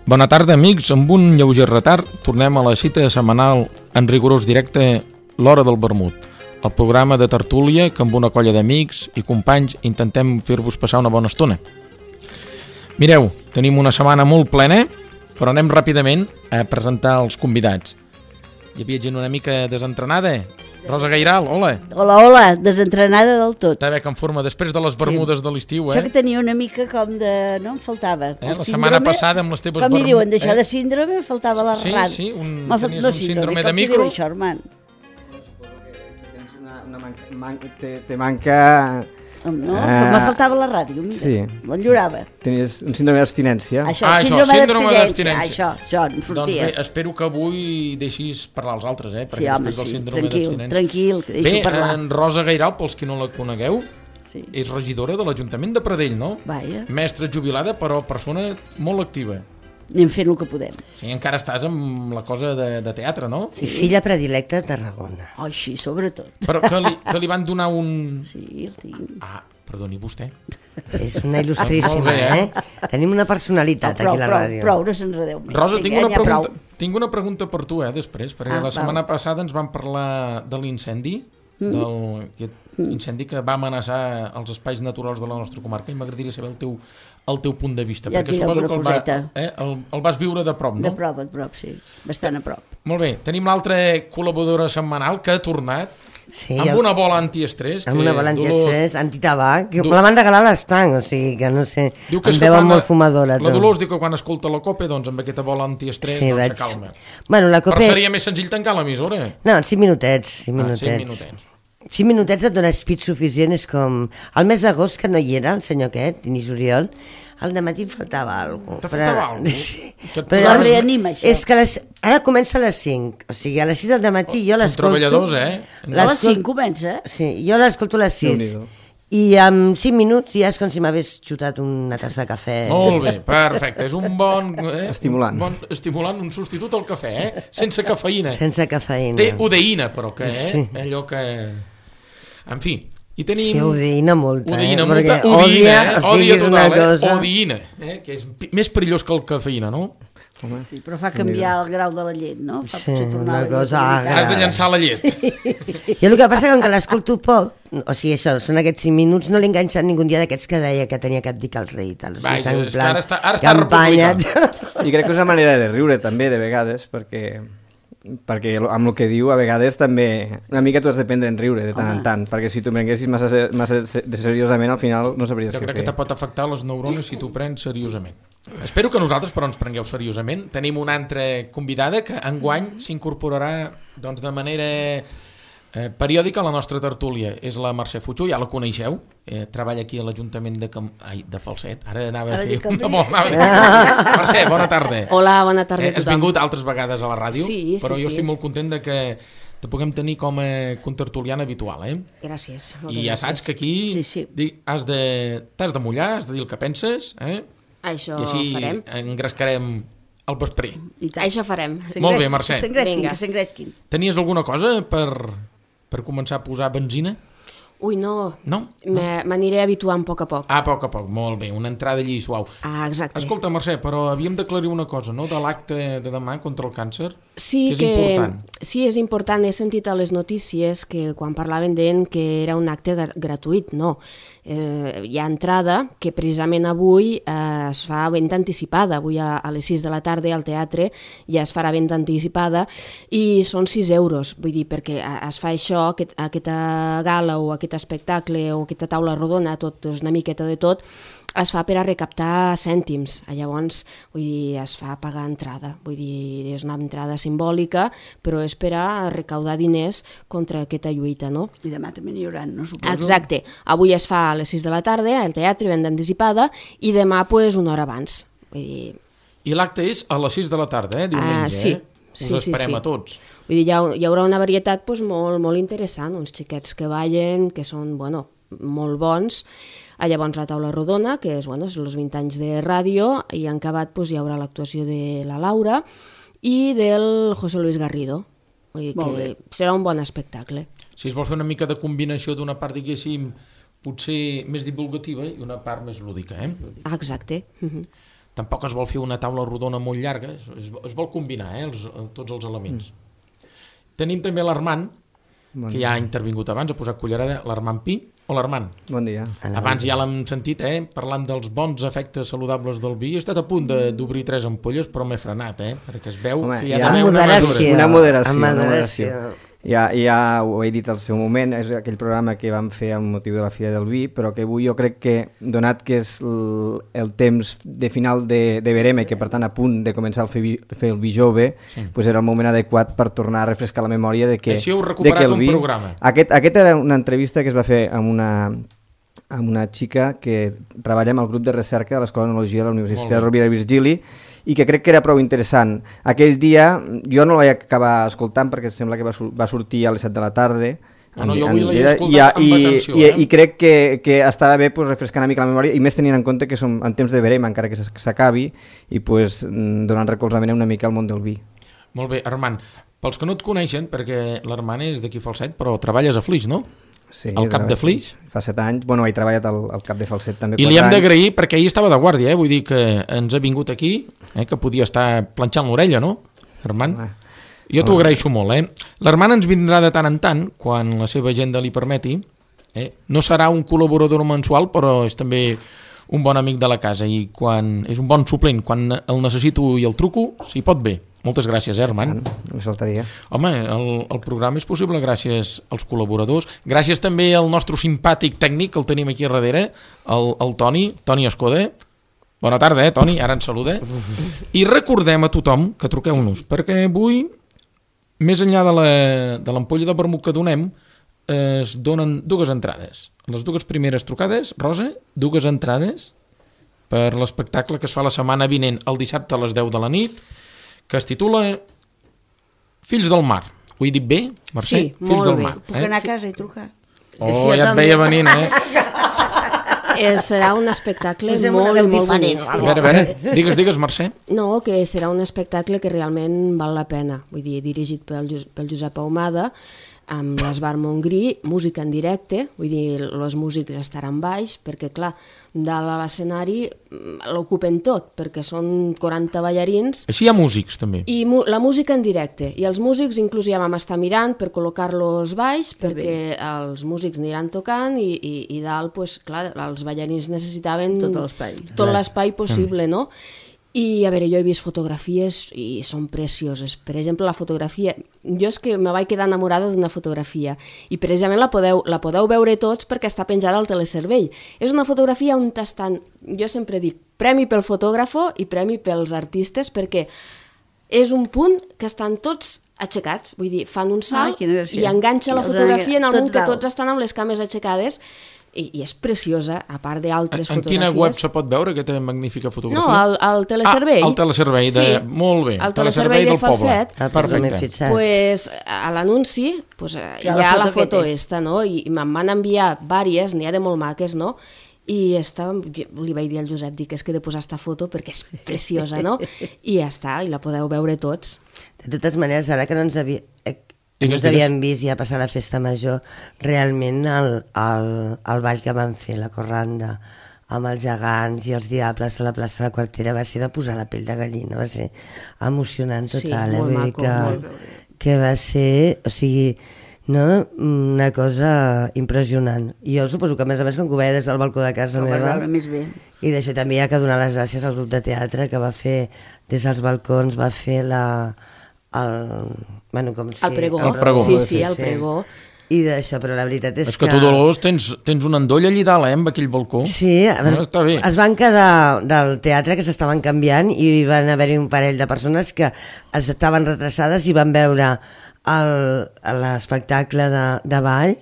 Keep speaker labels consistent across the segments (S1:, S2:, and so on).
S1: Bona tarda, amics. Amb un lleuger retard tornem a la cita setmanal en rigorós directe l'Hora del Vermut, el programa de tertúlia que amb una colla d'amics i companys intentem fer-vos passar una bona estona. Mireu, tenim una setmana molt plena, però anem ràpidament a presentar els convidats. Hi havia gent una mica desentrenada. Rosa Gairal, hola.
S2: Hola, desentrenada del tot.
S1: Està bé que en forma després de les bermudes de l'estiu,
S2: Això que tenia una mica com de... no em faltava.
S1: La setmana passada amb les teves
S2: bermudes... Com li diuen, d'això de síndrome, em faltava la ràdio.
S1: Sí, tenies un síndrome de micro.
S2: Com si diu això, Armand?
S3: Te manca...
S2: No, me faltava la ràdio, mira,
S3: sí.
S2: L'enllorava.
S3: Tenies un síndrome d'abstinència.
S2: Síndrome d'abstinència. Això, em sortia.
S1: Doncs bé, espero que avui deixis parlar als altres,
S2: perquè sí, tranquil, que deixo parlar.
S1: Bé, en Rosa Gairal, pels que no la conegueu, és regidora de l'Ajuntament de Pradell, no?
S2: Vaja.
S1: Mestra jubilada, però persona molt activa.
S2: Anem fent el que podem.
S1: Sí, encara estàs amb la cosa de teatre, no?
S4: Sí. Filla predilecta de Tarragona.
S2: Oh, sí, sobretot.
S1: Però que li van donar un...
S2: Sí, el tinc.
S1: Ah, perdoni, vostè.
S4: És una il·lustríssima, Tenim una personalitat aquí a la ràdio.
S2: Prou, no s'enredeu més.
S1: Rosa, tinc una pregunta per tu, després, perquè la setmana passada ens vam parlar de l'incendi, incendi que va amenaçar els espais naturals de la nostra comarca, i m'agradaria saber el teu punt de vista,
S2: ja
S1: perquè suposo que el vas viure de prop, no?
S2: De prop, sí, bastant a prop.
S1: Molt bé, tenim l'altra col·laboradora setmanal que ha tornat amb una bola antiestrès.
S4: Amb una bola antiestrès, antitabac, que la van regalar a l'estanc, o sigui que no sé, em veuen molt fumadora.
S1: La Dolors diu que quan escolta la COPE, doncs amb aquesta bola antiestrès se calma. Però seria més senzill tancar l'emissora.
S4: No, 5 minutets. 5 minutets et dona speed suficient, és com... El mes d'agost, que no hi era, el senyor aquest, Inés Oriol, al dematí em faltava alguna cosa.
S1: Te faltava alguna cosa?
S2: Sí. Però reanima, això.
S4: És que ara comença a les 5, o sigui, a les 6 del dematí jo l'escolto...
S1: Són treballadors,
S2: A les 5 comença?
S4: Sí, jo l'escolto a les 6. I en 5 minuts ja és com si m'hagués xutat una tassa de cafè.
S1: Molt bé, perfecte. És un bon...
S3: Estimulant.
S1: Estimulant, un substitut al cafè, sense cafeïna.
S4: Sense cafeïna.
S1: Té udeïna, però que, allò que... En fi, i tenim...
S4: Sí, udeïna molta,
S1: perquè odia total, udeïna, que és més perillós que el cafeïna, no?
S2: Sí, però fa canviar el grau de la llet, no? Fa potser tornar
S4: una cosa...
S1: Has de llançar la llet.
S4: Jo el que passa que l'escolto poc, o sigui, això, són aquests 5 minuts, no l'he enganxat ningú dia d'aquests que deia que tenia que abdicar el rei i tal.
S1: Va, és que ara està republicà.
S3: I crec que és una manera de riure també, de vegades, perquè amb el que diu a vegades també una mica tu has de prendre en riure de tant en tant, perquè si tu prenguessis massa seriosament al final no sabries què fer.
S1: Jo crec que te pot afectar les neurones si tu prens seriosament. Espero que nosaltres però ens prengueu seriosament. Tenim una altra convidada que enguany s'incorporarà doncs, de manera periòdica a la nostra tertúlia. És la Mercè Fuchó, ja la coneixeu, treballa aquí a l'Ajuntament de Falset. Ara anava a fer una bona... Mercè, bona tarda.
S5: Hola, bona tarda a tothom.
S1: Has vingut altres vegades a la ràdio, però jo estic molt content de que te puguem tenir com a contertuliana habitual.
S5: Gràcies.
S1: I ja saps que aquí t'has de mullar, has de dir el que penses,
S5: Això
S1: i així
S5: farem.
S1: Engrescarem el vesprer.
S5: Això farem.
S1: Molt bé, Mercè.
S2: Que s'engresquin.
S1: Tenies alguna cosa per començar a posar benzina?
S5: Ui, no.
S1: No?
S5: M'aniré habituant a poc.
S1: A poc, molt bé, una entrada allí suau.
S5: Exacte.
S1: Escolta, Mercè, però havíem d'aclarir una cosa, no?, de l'acte de demà contra el càncer,
S5: sí,
S1: que és important.
S5: Sí, és important. He sentit a les notícies que quan parlaven d'ell que era un acte gratuït. No. Hi ha entrada que precisament avui es fa venda anticipada. Avui a les 6 de la tarda al teatre ja es farà venda anticipada i són 6 euros. Vull dir, perquè es fa això, aquesta gala o aquest espectacle o aquesta taula rodona, tot és una miqueta de tot, es fa per a recaptar cèntims. Llavors, vull dir, es fa pagar entrada. Vull dir, és una entrada simbòlica, però és per a recaudar diners contra aquesta lluita, no?
S2: I demà també n'hi haurà, no suposo?
S5: Exacte. Avui es fa a les 6 de la tarda al teatre, venda anticipada, i demà, pues, una hora abans. Vull dir...
S1: I l'acte és a les 6 de la tarda, diumenge,
S5: sí.
S1: Us esperem a tots.
S5: Vull dir, hi haurà una varietat pues, molt interessant, uns xiquets que ballen, que són, molt bons. Llavors la taula rodona, que és els 20 anys de ràdio, i en acabat hi haurà l'actuació de la Laura i del José Luis Garrido. Vull dir que serà un bon espectacle.
S1: Si es vol fer una mica de combinació d'una part, diguéssim, potser més divulgativa i una part més lúdica,
S5: Exacte.
S1: tampoc es vol fer una taula rodona molt llarga, es vol combinar tots els elements. Tenim també l'Armand, que ja ha intervingut abans, ha posat cullerada, l'Armand Pi. Hola, Armand.
S3: Bon dia.
S1: Abans ja l'hem sentit, parlant dels bons efectes saludables del vi. He estat a punt d'obrir 3 ampolles, però m'he frenat, perquè es veu que hi ha d'haver una mesura.
S3: Una moderació. Ja ho he dit al seu moment, és aquell programa que vam fer amb motiu de la Fira del Vi, però que avui jo crec que, donat que és el temps de final de verema i que per tant a punt de començar a fer el vi jove, pues era el moment adequat per tornar a refrescar la memòria de que...
S1: Així heu recuperat un programa.
S3: Aquest era una entrevista que es va fer amb una xica que treballa amb el grup de recerca de l'Escola d'Enologia de la Universitat Rovira i Virgili, i que crec que era prou interessant. Aquell dia jo no el vaig acabar escoltant perquè sembla que va sortir a les 7 de la tarda.
S1: No, jo avui l'he escoltat amb atenció.
S3: I crec que estava bé refrescar una mica la memòria, i més tenint en compte que som en temps de verema, encara que s'acabi, i donant recolzament una mica al món del vi.
S1: Molt bé, Armand. Pels que no et coneixen, perquè l'Armand és d'aquí Falset, però treballes a Flix, no?
S3: Sí,
S1: al cap de Flix.
S3: Fa 7 anys. Bueno, he treballat al cap de Falset també.
S1: I li hem d'agrair perquè ahir estava de guàrdia, vull dir que ens ha vingut aquí, que podia estar planxant l'orella, no, Armand? Jo t'ho agraeixo molt, L'Armand ens vindrà de tant en tant, quan la seva agenda li permeti. No serà un col·laborador mensual, però és també un bon amic de la casa i quan és un bon suplent, quan el necessito i el truco, s'hi pot bé. Moltes gràcies, Armand.
S3: No faltaria.
S1: Home, el programa és possible gràcies als col·laboradors. Gràcies també al nostre simpàtic tècnic, que el tenim aquí a darrere, el Toni Escoda. Bona tarda, Toni, ara ens saluda. I recordem a tothom que truqueu-nos, perquè avui, més enllà de l'ampolla de vermut que donem, es donen 2 entrades. Les 2 primeres trucades, Rosa, 2 entrades per l'espectacle que es fa la setmana vinent, el dissabte a les 10 de la nit, que es titula Fills del Mar. Ho he dit bé, Mercè?
S5: Sí, molt
S1: del
S5: bé.
S1: Mar,
S2: Puc anar a casa i trucar?
S1: Oh, ja et veia venint,
S5: Serà un espectacle molt bonic.
S1: A veure, digues, Mercè.
S5: No, que serà un espectacle que realment val la pena. Vull dir, dirigit pel Josep Ahumada, amb l'Esbar Montgrí, música en directe, vull dir, els músics estaran baix, perquè clar, dalt a l'escenari l'ocupen tot, perquè són 40 ballarins.
S1: Així hi ha músics, també.
S5: I la música en directe. I els músics inclús ja vam estar mirant per col·locar-los baix, perquè els músics aniran tocant i dalt, pues, clar, els ballarins necessitaven tot l'espai possible, no? I a veure, jo he vist fotografies i són precioses. Per exemple, la fotografia, jo és que me vaig quedar enamorada d'una fotografia i precisament la podeu veure tots perquè està penjada al telecervell. És una fotografia on estan, jo sempre dic, premi pel fotògrafo i premi pels artistes, perquè és un punt que estan tots aixecats, vull dir, fan un salt i enganxa la fotografia en el moment que tots estan amb les cames aixecades. I és preciosa, a part d'altres fotografies.
S1: En quina web se pot veure aquesta magnífica fotografia?
S5: No, al telecervell.
S1: Al telecervell, molt bé.
S5: Al telecervell del Falset.
S1: Perfecte.
S5: Pues, a l'anunci hi ha la foto esta, no? I me'n van enviar vàries, n'hi ha de molt maques, no? I li vaig dir al Josep, dic, és que he de posar esta foto perquè és preciosa, no? I ja està, i la podeu veure tots.
S4: De totes maneres, ara que no ens havíem vist ja passar la festa major, realment el ball que van fer, la corranda, amb els gegants i els diables a la plaça de la Quartera, va ser de posar la pell de gallina, va ser emocionant total.
S5: Sí, molt maco.
S4: Que va ser, o sigui, no? Una cosa impressionant. I jo suposo que a més quan ho veia des del balcó de casa meva, i d'això també hi ha que donar les gràcies al grup de teatre que va fer des dels balcons, va fer el
S1: pregó.
S5: Sí, el pregó.
S4: I d'això, però la veritat és que...
S1: És que tu, Dolors, tens un endoll allí dalt, amb aquell balcó.
S4: Sí,
S1: està bé.
S4: Es van quedar del teatre que s'estaven canviant i van haver-hi un parell de persones que estaven retrasades i van veure l'espectacle de ball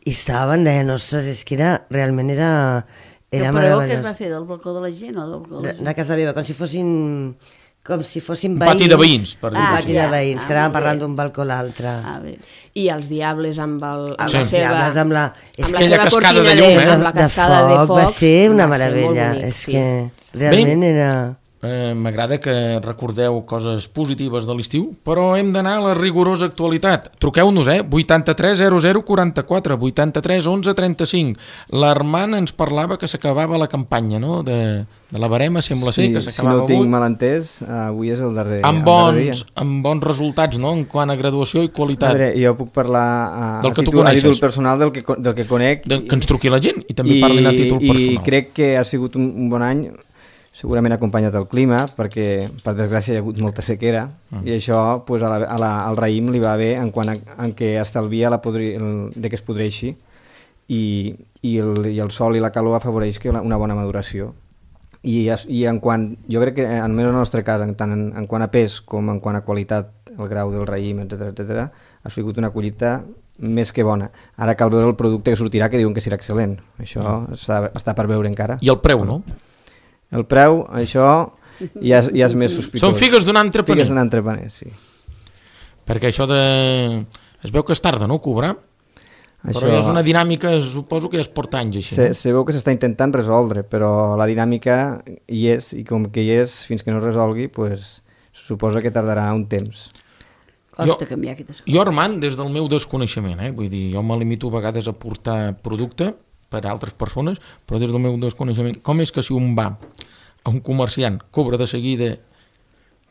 S4: i deien, ostres, és que realment era meravellós.
S2: El pregó que es va fer del balcó de la gent o del balcó de
S4: casa meva, com si fossin veïns.
S1: Pati de veïns, per dir-ho.
S4: Pati de veïns, que anaven parlant d'un balcó a l'altre.
S5: I els diables amb la
S1: seva cortina
S5: de llum, amb la cascada de foc.
S4: Va ser una meravella. És que realment era...
S1: m'agrada que recordeu coses positives de l'estiu, però hem d'anar a la rigorosa actualitat. Truqueu-nos, 83 00 44, 83 11 35. L'Armand ens parlava que s'acabava la campanya, no?, de la barema, sembla ser, que s'acabava avui.
S3: Si no tinc mal entès, avui és el darrer
S1: amb bons resultats, no?, en quant a graduació i qualitat.
S3: A veure, jo puc parlar
S1: del que tu
S3: a
S1: coneixes,
S3: títol personal del que conec.
S1: Que ens truqui la gent i també parlin a títol personal.
S3: I crec que ha sigut un bon any, segurament acompanyat del clima, perquè per desgràcia hi ha hagut molta sequera, i això pues, al raïm li va bé en quant a que estalvia de que es podreixi, i el sol i la calor afavoreix una bona maduració. I en quant, jo crec que almenys en el nostre cas, tant en quant a pes com en quant a qualitat, el grau del raïm, etc., ha sigut una collita més que bona. Ara cal veure el producte que sortirà, que diuen que serà excel·lent. Això està per veure encara.
S1: I el preu, no?
S3: El preu, això ja és més sospitós.
S1: Són figues d'un entrepaner.
S3: Figues d'un entrepaner, sí.
S1: Perquè això de... Es veu que es tarda, no?, cobrar? Però ja és una dinàmica, suposo que ja es porta anys així.
S3: Se veu que s'està intentant resoldre, però la dinàmica hi és, i com que hi és, fins que no es resolgui, pues, suposa que tardarà un temps.
S2: Costa canviar aquestes coses.
S1: Jo, Armand, des del meu desconeixement, vull dir, jo me limito a vegades a portar producte per a altres persones, però des del meu desconeixement, com és que si un va a un comerciant, cobra de seguida,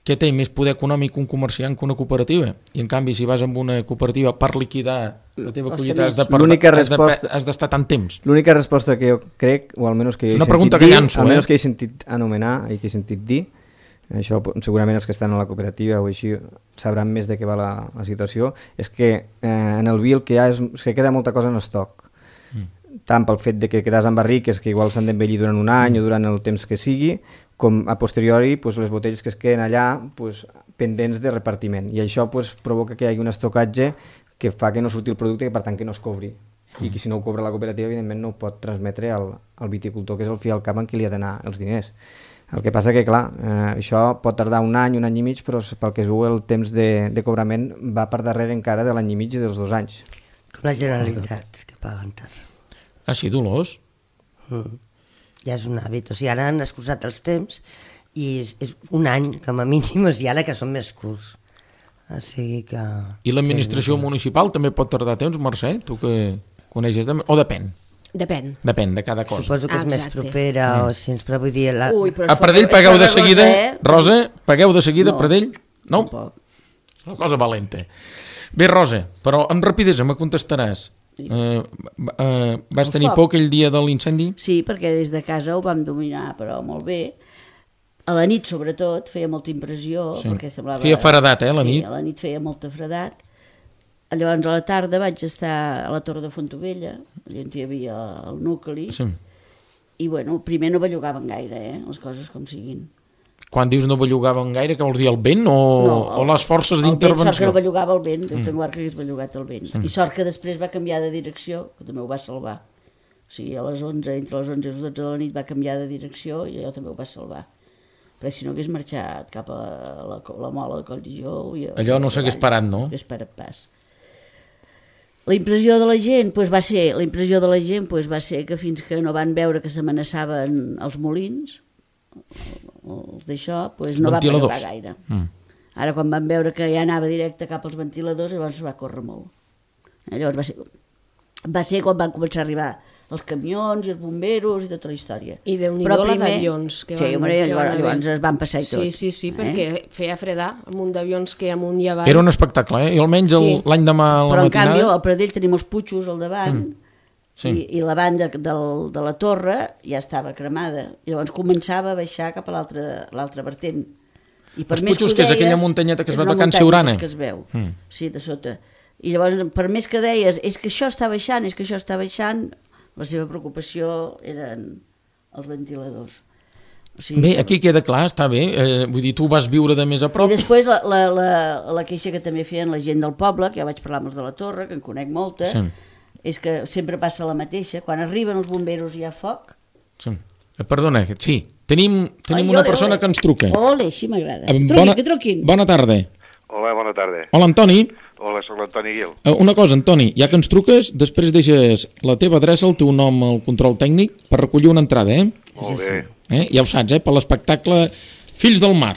S1: què té més poder econòmic un comerciant que una cooperativa? I en canvi, si vas amb una cooperativa per liquidar la teva collita has d'estar tant temps.
S3: L'única resposta que jo crec, o almenys que jo he sentit anomenar i que he sentit dir, això segurament els que estan a la cooperativa o així sabran més de què va la situació, és que en el vi el que hi ha és que queda molta cosa en estoc. Tant pel fet de que quedes amb barriques que igual s'han d'envellir durant un any o durant el temps que sigui, com a posteriori les botelles que es queden allà pendents de repartiment. I això provoca que hi hagi un estocatge que fa que no surti el producte i per tant que no es cobri. I que si no ho cobra la cooperativa, evidentment no ho pot transmetre al viticultor, que és el fi al cap en qui li ha d'anar els diners. El que passa que, clar, això pot tardar un any i mig, però pel que es veu el temps de cobrament va per darrere encara de l'any i mig i dels 2 anys.
S4: Com la Generalitat, que paguen tard.
S1: Ah, sí, Dolors?
S4: Ja és un hàbit, o sigui, ara han excusat els temps i és un any, com a mínim, i ara que són més curts. O sigui que...
S1: I l'administració municipal també pot tardar temps, Mercè? Tu que coneixes també? O depèn?
S5: Depèn.
S1: Depèn de cada cosa.
S4: Suposo que és més propera, o si ens vull dir...
S1: A Pradell pagueu de seguida, Rosa? Pagueu de seguida, Pradell? No? És una cosa valenta. Bé, Rosa, però amb rapidesa me contestaràs. Vas tenir por aquell dia de l'incendi?
S2: Sí, perquè des de casa ho vam dominar, però molt bé. A la nit, sobretot, feia molta impressió. Perquè semblava...
S1: Feia fredat, la nit?
S2: Sí, a la nit feia molta fredat. Llavors, a la tarda vaig estar a la Torre de Fontovella, allà on hi havia el nucli, i, bueno, primer no bellugaven gaire, les coses com siguin.
S1: Quan dius no bellugaven gaire, què vols dir, el vent o les forces d'intervenció?
S2: Sort que no bellugava el vent, tengo que hagués bellugat el vent. I sort que després va canviar de direcció, que també ho va salvar. O sigui, a les 11, entre les 11 i les 12 de la nit va canviar de direcció i allò també ho va salvar. Però si no hagués marxat cap a la mola de Colljó...
S1: Allò no s'hagués parat, no?
S2: No hagués parat pas. La impressió de la gent va ser que fins que no van veure que s'amenaçaven els molins, els d'això, no va bellugar gaire. Ara quan van veure que ja anava directe cap als ventiladors, llavors va córrer molt. Llavors va ser quan van començar a arribar els camions i els bomberos i tota la història.
S5: I Déu-n'hi-do la d'avions.
S2: Llavors es van passar i tot.
S5: Sí, perquè feia fredar un munt d'avions que amunt i avall.
S1: Era un espectacle, I almenys l'any demà a la matinada...
S2: Però en canvi al Pradell tenim els putxos al davant i la banda de la torre ja estava cremada. Llavors començava a baixar cap a l'altra vertent.
S1: Els putxos, que és aquella muntanyeta que es va tocant Siurana.
S2: Que es veu, sí, de sota. I llavors, per més que deies, és que això està baixant, la seva preocupació eren els ventiladors. O sigui,
S1: bé, aquí queda clar, està bé. Vull dir, tu vas viure de més a prop.
S2: I després la queixa que també feien la gent del poble, que ja vaig parlar amb els de la Torre, que en conec molta, és que sempre passa la mateixa. Quan arriben els bomberos hi ha foc.
S1: Sí. Perdona, sí. Tenim una persona que ens truca.
S2: Ole, sí m'agrada. Truquin.
S1: Bona tarda.
S6: Hola, bona tarda.
S1: Hola, Antoni.
S6: Hola, soc l'Antoni Guil.
S1: Una cosa, Antoni, ja que ens truques, després deixes la teva adreça, el teu nom al control tècnic per recollir una entrada,
S6: Molt bé.
S1: Ja ho saps, per l'espectacle Fills del Mar,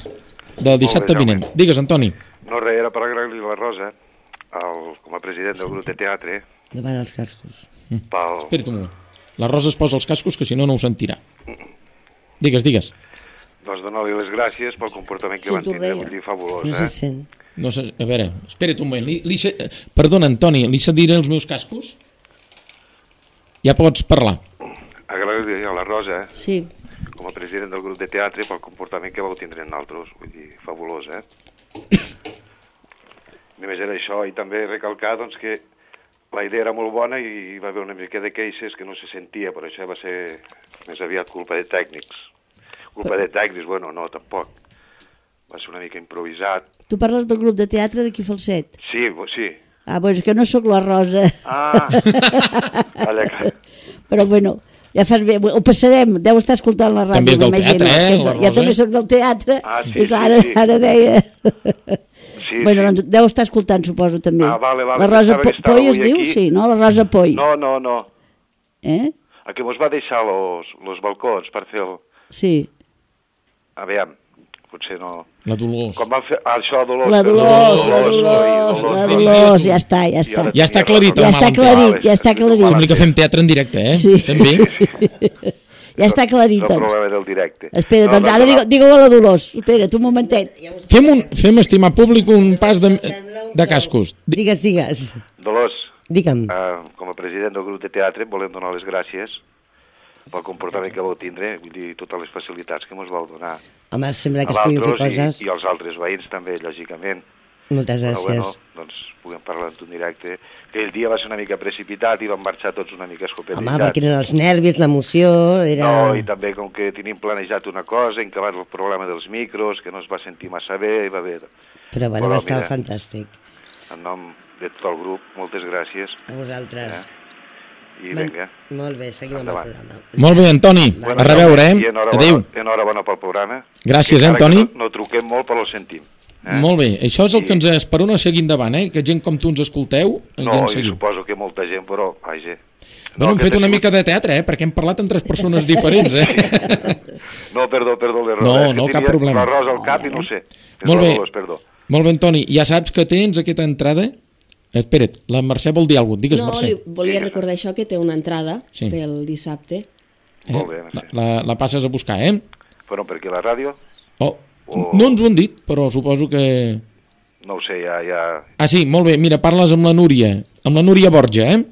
S1: del dissabte
S6: Jaume.
S1: vinent. Digues, Antoni.
S6: No, res, era per agrair-li la Rosa, com a president del grup de teatre,
S4: Davant els cascos.
S6: pel...
S1: Espera't un moment. La Rosa es posa els cascos, que si no, no ho sentirà. Digues.
S6: Doncs donar-li les gràcies pel comportament que
S2: Sí,
S6: van
S2: tu
S6: tindre,
S2: reia.
S6: vull dir, fabulós,
S4: No se sent.
S1: No sé, a veure, espera't un moment. Perdona, Antoni, li cediré els meus cascos? Ja pots parlar.
S6: Agrair-li a la Rosa,
S2: Sí,
S6: com a president del grup de teatre, pel comportament que vau tindre en altres, vull dir, fabulós, Només era això, i també recalcar, doncs, que la idea era molt bona i hi va haver una mica de queixes que no se sentia, però això va ser més aviat culpa de tècnics. Culpa de tècnics, bueno, no, tampoc. Va ser una mica improvisat.
S2: tu parles del grup de teatre d'aquí Falset.
S6: Sí, sí.
S2: Ah, doncs és que no sóc la Rosa,
S6: Ah, allà que...
S2: però bueno, ja fas bé, ho passarem, deu estar escoltant la ràdio.
S1: També és del
S2: m'imagino,
S1: teatre,
S2: que és
S1: la
S2: Jo
S1: Rosa?
S2: també sóc del teatre,
S6: Ah, sí,
S2: i clar,
S6: sí, sí.
S2: ara deia...
S6: Sí,
S2: Bueno,
S6: sí.
S2: doncs deu estar escoltant, suposo, també.
S6: Ah, vale,
S2: La Rosa
S6: pensava que estava
S2: Poi es
S6: avui
S2: diu?
S6: aquí.
S2: Sí, no? La Rosa Poi.
S6: No.
S2: Eh?
S6: A que mos va deixar los balcons per fer el...
S2: Sí.
S6: Aviam, potser no...
S1: La Dolors.
S6: Quan van fer... Ah, això, Dolors.
S2: La Dolors, ja està.
S1: Ja està aclarit,
S2: Ja
S1: el
S2: està
S1: mal
S2: aclarit, ja està aclarit.
S1: Sembla que fem teatre en directe,
S2: Sí.
S1: També.
S2: Ja està aclarit,
S6: El
S2: doncs.
S6: problema del directe.
S2: Espera, doncs ara digue-ho a la Dolors. Espera't un momentet.
S1: Fem, estimar públic, un pas de cascos.
S4: Digues.
S6: Dolors,
S4: Digue'm.
S6: com a president del grup de teatre, volem donar les gràcies pel comportament que vau tindre, vull dir, totes les facilitats que mos vau donar
S4: Home, sembla
S6: a
S4: que es puguin fer
S6: l'altres
S4: coses.
S6: i als altres veïns també, lògicament.
S4: Moltes gràcies.
S6: Doncs puguem parlar en directe. Aquell dia va ser una mica precipitat i vam marxar tots una mica escopetitzats.
S4: Home, perquè eren els nervis, l'emoció, era...
S6: No, i també com que tenim planejat una cosa, encabat el problema dels micros, que no es va sentir massa bé, i va bé.
S4: Però bueno, va estar
S6: mira,
S4: fantàstic.
S6: en nom de tot el grup, moltes gràcies.
S4: A vosaltres.
S6: I vinga.
S4: Molt bé, seguim amb el
S6: Endavant.
S4: programa.
S1: Molt bé, Antoni. A reveure,
S6: I
S1: Adéu.
S6: enhorabona pel programa.
S1: Gràcies,
S6: Encara
S1: Antoni.
S6: que No truquem molt, però el sentim.
S1: Molt bé, això és el que ens esperona seguir endavant, que gent com tu ens escolteu i
S6: No,
S1: ens
S6: i
S1: seguiu.
S6: suposo que molta gent, però, vaja...
S1: Bueno, hem fet una mica de teatre, perquè hem parlat amb 3 persones diferents,
S6: No, perdó, l'error.
S1: No,
S6: És que
S1: no, cap
S6: tenia
S1: problema.
S6: La Rosa al cap i no ho sé.
S1: Molt bé.
S6: Perdó.
S1: Molt bé, Antoni, ja saps que tens aquesta entrada? Espera't, la Mercè vol dir alguna cosa. Digues,
S5: No,
S1: Mercè.
S5: li volia recordar això, que té una entrada
S1: Sí.
S5: pel dissabte.
S6: Molt bé, Mercè.
S1: La passes a buscar,
S6: Però perquè la ràdio,
S1: No ens ho han dit, però suposo que...
S6: no ho sé, ja...
S1: Ah, sí, molt bé, mira, parles amb la Núria Borja,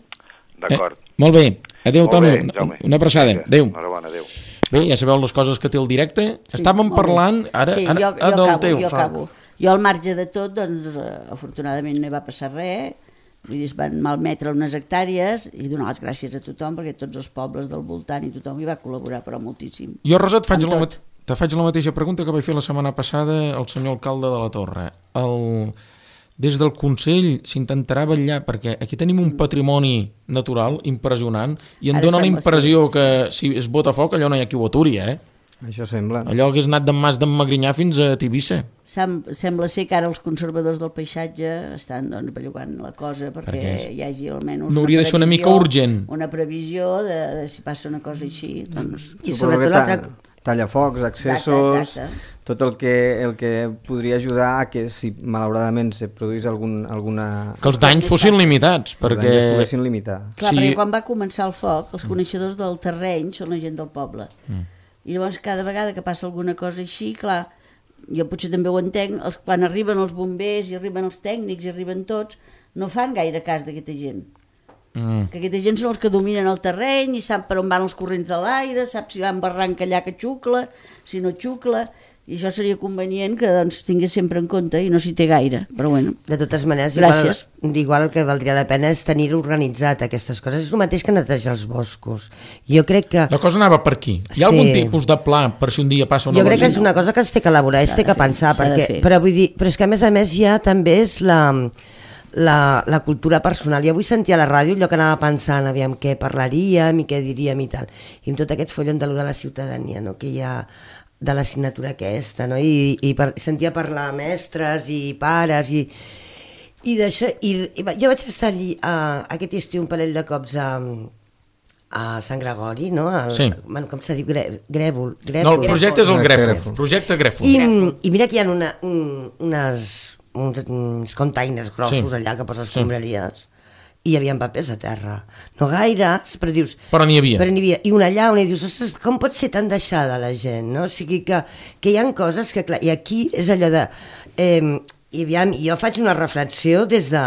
S6: D'acord.
S1: Molt bé, adéu,
S6: Molt
S1: Toni,
S6: bé, Jaume.
S1: una abraçada,
S6: Vinga,
S1: adéu.
S6: Enhorabona, adéu.
S1: Bé, ja sabeu les coses que té el directe. Estàvem
S2: molt bé.
S1: parlant ara,
S2: Sí,
S1: ara
S2: jo
S1: del
S2: acabo,
S1: teu.
S2: jo acabo. Jo al marge de tot, doncs, afortunadament no hi va passar res, vull dir, es van malmetre unes hectàrees i donar les gràcies a tothom, perquè tots els pobles del voltant i tothom hi va col·laborar, però moltíssim.
S1: Jo, Rosa, te faig
S2: Amb tot.
S1: la mateixa pregunta que vaig fer la setmana passada al senyor alcalde de la Torre. Des del Consell s'intentarà vetllar, perquè aquí tenim un patrimoni natural impressionant i em
S2: Ara
S1: dóna la
S2: sembla,
S1: impressió
S2: sí.
S1: que si es bota foc allò no hi ha qui ho aturi,
S3: Això sembla.
S1: Allò que és anat d'en Mas d'en Magrinyà fins a Tivissa.
S2: Sembla ser que ara els conservadors del paisatge estan doncs, bellugant la cosa perquè hi hagi almenys
S1: no hauria de ser una mica urgent.
S2: Una previsió de si passa una cosa així. Doncs...
S4: I
S3: Suposo que
S4: sobretot l'altre...
S3: tallafocs, accessos,
S2: Exacte.
S3: tot el que podria ajudar a que si malauradament se produís alguna...
S1: Que els danys fossin limitats,
S3: els danys es
S1: perquè...
S3: poguessin limitar.
S2: Clar,
S1: Sí.
S2: perquè quan va començar el foc, els coneixedors del terreny són la gent del poble. I llavors cada vegada que passa alguna cosa així, clar, jo potser també ho entenc, quan arriben els bombers i arriben els tècnics i arriben tots, no fan gaire cas d'aquesta gent. Que aquesta gent són els que dominen el terreny i sap per on van els corrents de l'aire, sap si va en barranc allà que xucla, si no xucla, i això seria convenient que doncs, tingués sempre en compte i no s'hi té gaire, però bueno.
S4: De totes maneres,
S2: Gràcies.
S4: igual el que valdria la pena és tenir organitzat aquestes coses. És el mateix que netejar els boscos. Jo crec que...
S1: La cosa anava per aquí. Hi ha
S4: Sí.
S1: algun tipus de pla per si un dia passa una
S4: Jo crec que
S1: cosa?
S4: és una cosa que es té que elaborar, es té que pensar,
S2: s'ha de
S4: perquè,
S2: fer.
S4: però és que a més ja també és la cultura personal. Jo avui sentia a la ràdio allò que anava pensant, aviam què parlaríem i què diríem i tal. I amb tot aquest follon de la ciutadania, no? Que hi ha de l'assignatura aquesta, no? Sentia parlar mestres i pares i d'això, i jo vaig estar allí aquest estiu un parell de cops a Sant Gregori, no? Com se diu? Grèvol.
S1: No, el projecte és el Grèfol. Projecte Grèfol.
S4: I mira que hi ha uns containers grossos allà que poses escombraries i hi havia papers a terra. No gaires, però dius...
S1: Però n'hi havia.
S4: I una allà on dius, ostres, com pot ser tan deixada la gent, no? O sigui que hi ha coses que, clar, i aquí és allò de... I aviam, jo faig una reflexió des de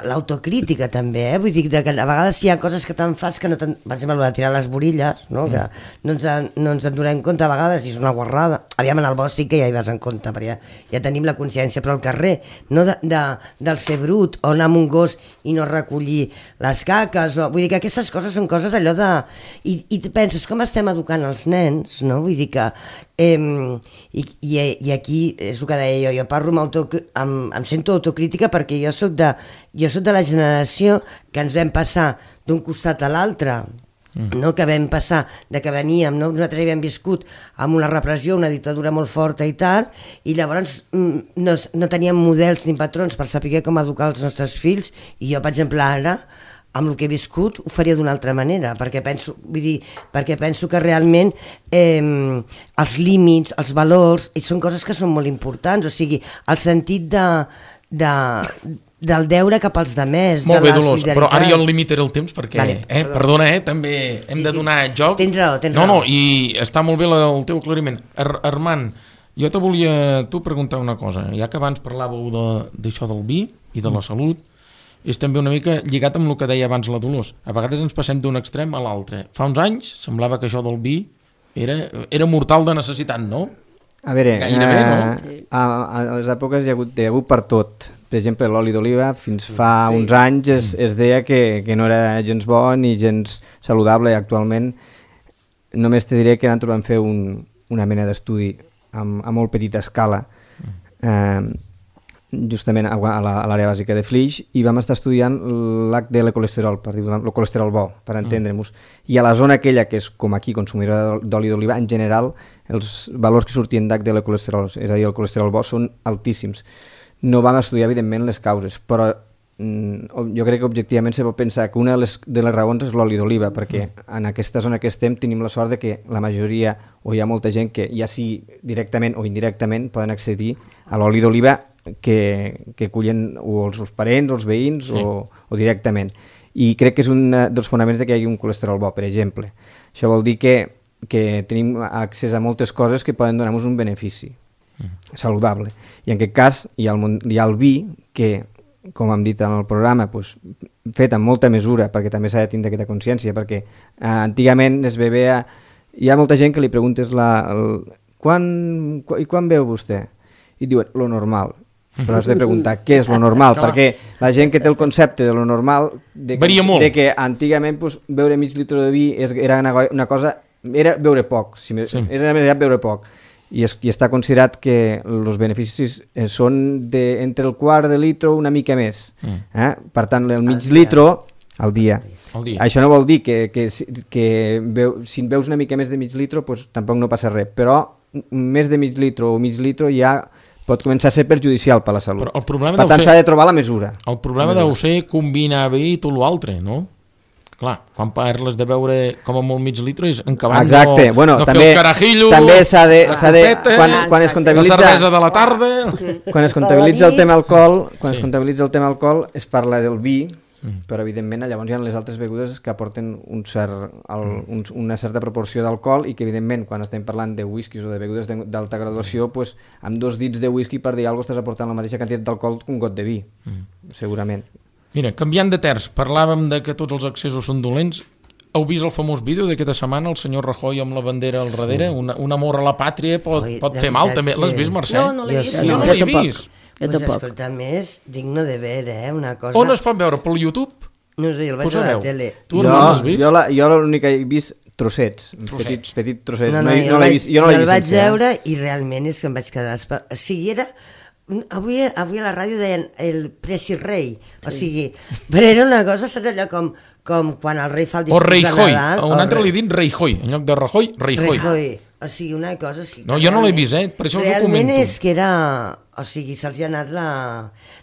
S4: l'autocrítica també, vull dir que a vegades hi ha coses que te'n fas que no per exemple, de tirar les borilles, no? Que no ens en donem compte a vegades i és una guarrada. Aviam, en el bosc sí que ja hi vas en compte, perquè ja tenim la consciència, però al carrer, no del ser brut, o anar amb un gos i no recollir les caques, vull dir que aquestes coses són coses allò de... I penses, com estem educant els nens, no? Vull dir que... I aquí és el que deia jo parlo em sento autocrítica perquè jo soc de la generació que ens vam passar d'un costat a l'altre, no? Que vam passar de que veníem, no? Nosaltres havíem viscut amb una repressió, una dictadura molt forta i tal, i llavors no teníem models ni patrons per saber com educar els nostres fills, i jo per exemple ara amb el que he viscut ho faria d'una altra manera, perquè penso que realment els límits, els valors, són coses que són molt importants, o sigui, el sentit del deure cap als demés,
S1: molt bé, Dolors, però ara jo el limitaré el temps perquè, vale, perdona, també hem de donar joc.
S4: Tens raó.
S1: No, i està molt bé el teu aclariment. Armand, jo te volia preguntar una cosa, ja que abans parlàveu d'això del vi i de la salut, és també una mica lligat amb el que deia abans la Dolors. A vegades ens passem d'un extrem a l'altre. Fa uns anys semblava que això del vi era mortal de necessitat, no?
S3: A veure,
S1: gairebé, no?
S3: A les èpoques hi ha hagut per tot. Per exemple, l'oli d'oliva, fins fa uns anys es deia que no era gens bo ni gens saludable. Actualment només te diré que nosaltres vam fer una mena d'estudi a molt petita escala, justament a l'àrea bàsica de Flix, i vam estar estudiant l'HDL colesterol, per dir el colesterol bo, per entendre-nos. I a la zona aquella que és com aquí, consumidora d'oli d'oliva, en general, els valors que sortien d'HDL colesterol, és a dir, el colesterol bo, són altíssims. No vam estudiar, evidentment, les causes, però jo crec que objectivament se pot pensar que una de les raons és l'oli d'oliva, perquè en aquesta zona que estem tenim la sort de que la majoria, o hi ha molta gent que ja sigui directament o indirectament poden accedir a l'oli d'oliva que cullen o els parents o els veïns, sí, o directament. I crec que és un dels fonaments de que hi hagi un colesterol bo, per exemple. Això vol dir que tenim accés a moltes coses que poden donar-nos un benefici saludable. I en aquest cas hi ha el vi, que, com hem dit en el programa, fet amb molta mesura, perquè també s'ha de tindre aquesta consciència, perquè antigament es bevia... Hi ha molta gent que li preguntes quan beu vostè? I diuen, lo normal. Però has de preguntar què és lo normal, perquè la gent que té el concepte de lo normal
S1: varia molt,
S3: de que antigament beure mig litre de vi era una cosa, era beure poc, era més beure poc, i està considerat que els beneficis són entre el quart de litre o una mica més, per tant el mig litre al dia. Això no vol dir que si en veus una mica més de mig litre tampoc no passa res, però més de mig litre o mig litre ja pot començar a ser perjudicial per la salut. Per tant, s'ha de trobar la mesura.
S1: El problema deu ser combinar bé i tot l'altre, no? Clar, quan parles de beure com a molt mig litre és encabant no fer el carajillo,
S3: també s'ha de quan es comptabilitza
S1: la cervesa de la tarda.
S3: Quan es comptabilitza el tema alcohol, es parla del vi, però evidentment llavors hi ha les altres begudes que aporten una certa proporció d'alcohol, i que evidentment quan estem parlant de whiskies o de begudes d'alta graduació, amb 2 dits de whisky, per dir alguna cosa, estàs aportant la mateixa quantitat d'alcohol que un got de vi, segurament.
S1: Mira, canviant de terç, parlàvem de que tots els excessos són dolents. Heu vist el famós vídeo d'aquesta setmana, el senyor Rajoy amb la bandera al darrere? Un amor a la pàtria pot fer mal també. L'has vist, Mercè?
S5: No l'he vist.
S1: Jo no l'he vist.
S4: Escolta, més digno de veure, una cosa...
S1: On es pot veure? Per YouTube?
S4: No sé, el vaig veure a la tele.
S3: Tu no l'has vist? Jo l'únic que he vist trossets. Petits trossets.
S4: Jo no l'he vist. El vaig veure i realment és que em vaig quedar... O sigui, era... Avui a la ràdio deien el Presi Rei, o sigui, però era una cosa, saps allò com quan el rei fa el discurs de Nadal...
S1: O un altre li dit Rajoy, en lloc de Rajoy, Rajoy.
S4: O sigui, una cosa...
S1: No, jo no l'he vist, per això us ho comento.
S4: Realment és que era... O sigui, se'ls ha anat la...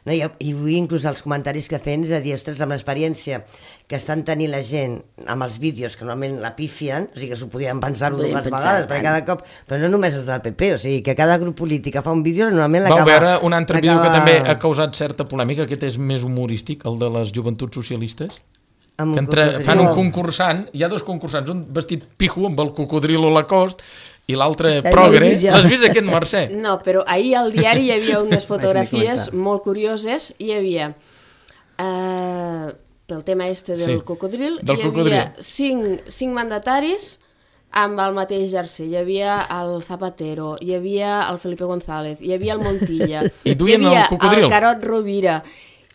S4: No, i vull inclús els comentaris que feien, és a dir, ostres, amb l'experiència que estan tenint la gent amb els vídeos, que normalment la pifien, o sigui, que s'ho podien pensar-ho dues vegades, perquè cada cop... Però no només és del PP, o sigui, que cada grup polític que fa un vídeo normalment l'acaba...
S1: Vau veure un altre vídeo que també ha causat certa polèmica, aquest és més humorístic, el de les joventuts socialistes, que fan un concursant, hi ha dos concursants, un vestit pijo amb el cocodril a la cost i l'altre progre. L'has vist aquest, Mercè?
S5: No, però ahir al diari hi havia unes fotografies molt curioses, hi havia pel tema del cocodril, hi havia cinc mandataris amb el mateix jersei. Hi havia el Zapatero, hi havia el Felipe González, hi havia el Montilla,
S1: hi havia
S5: el Carod Rovira,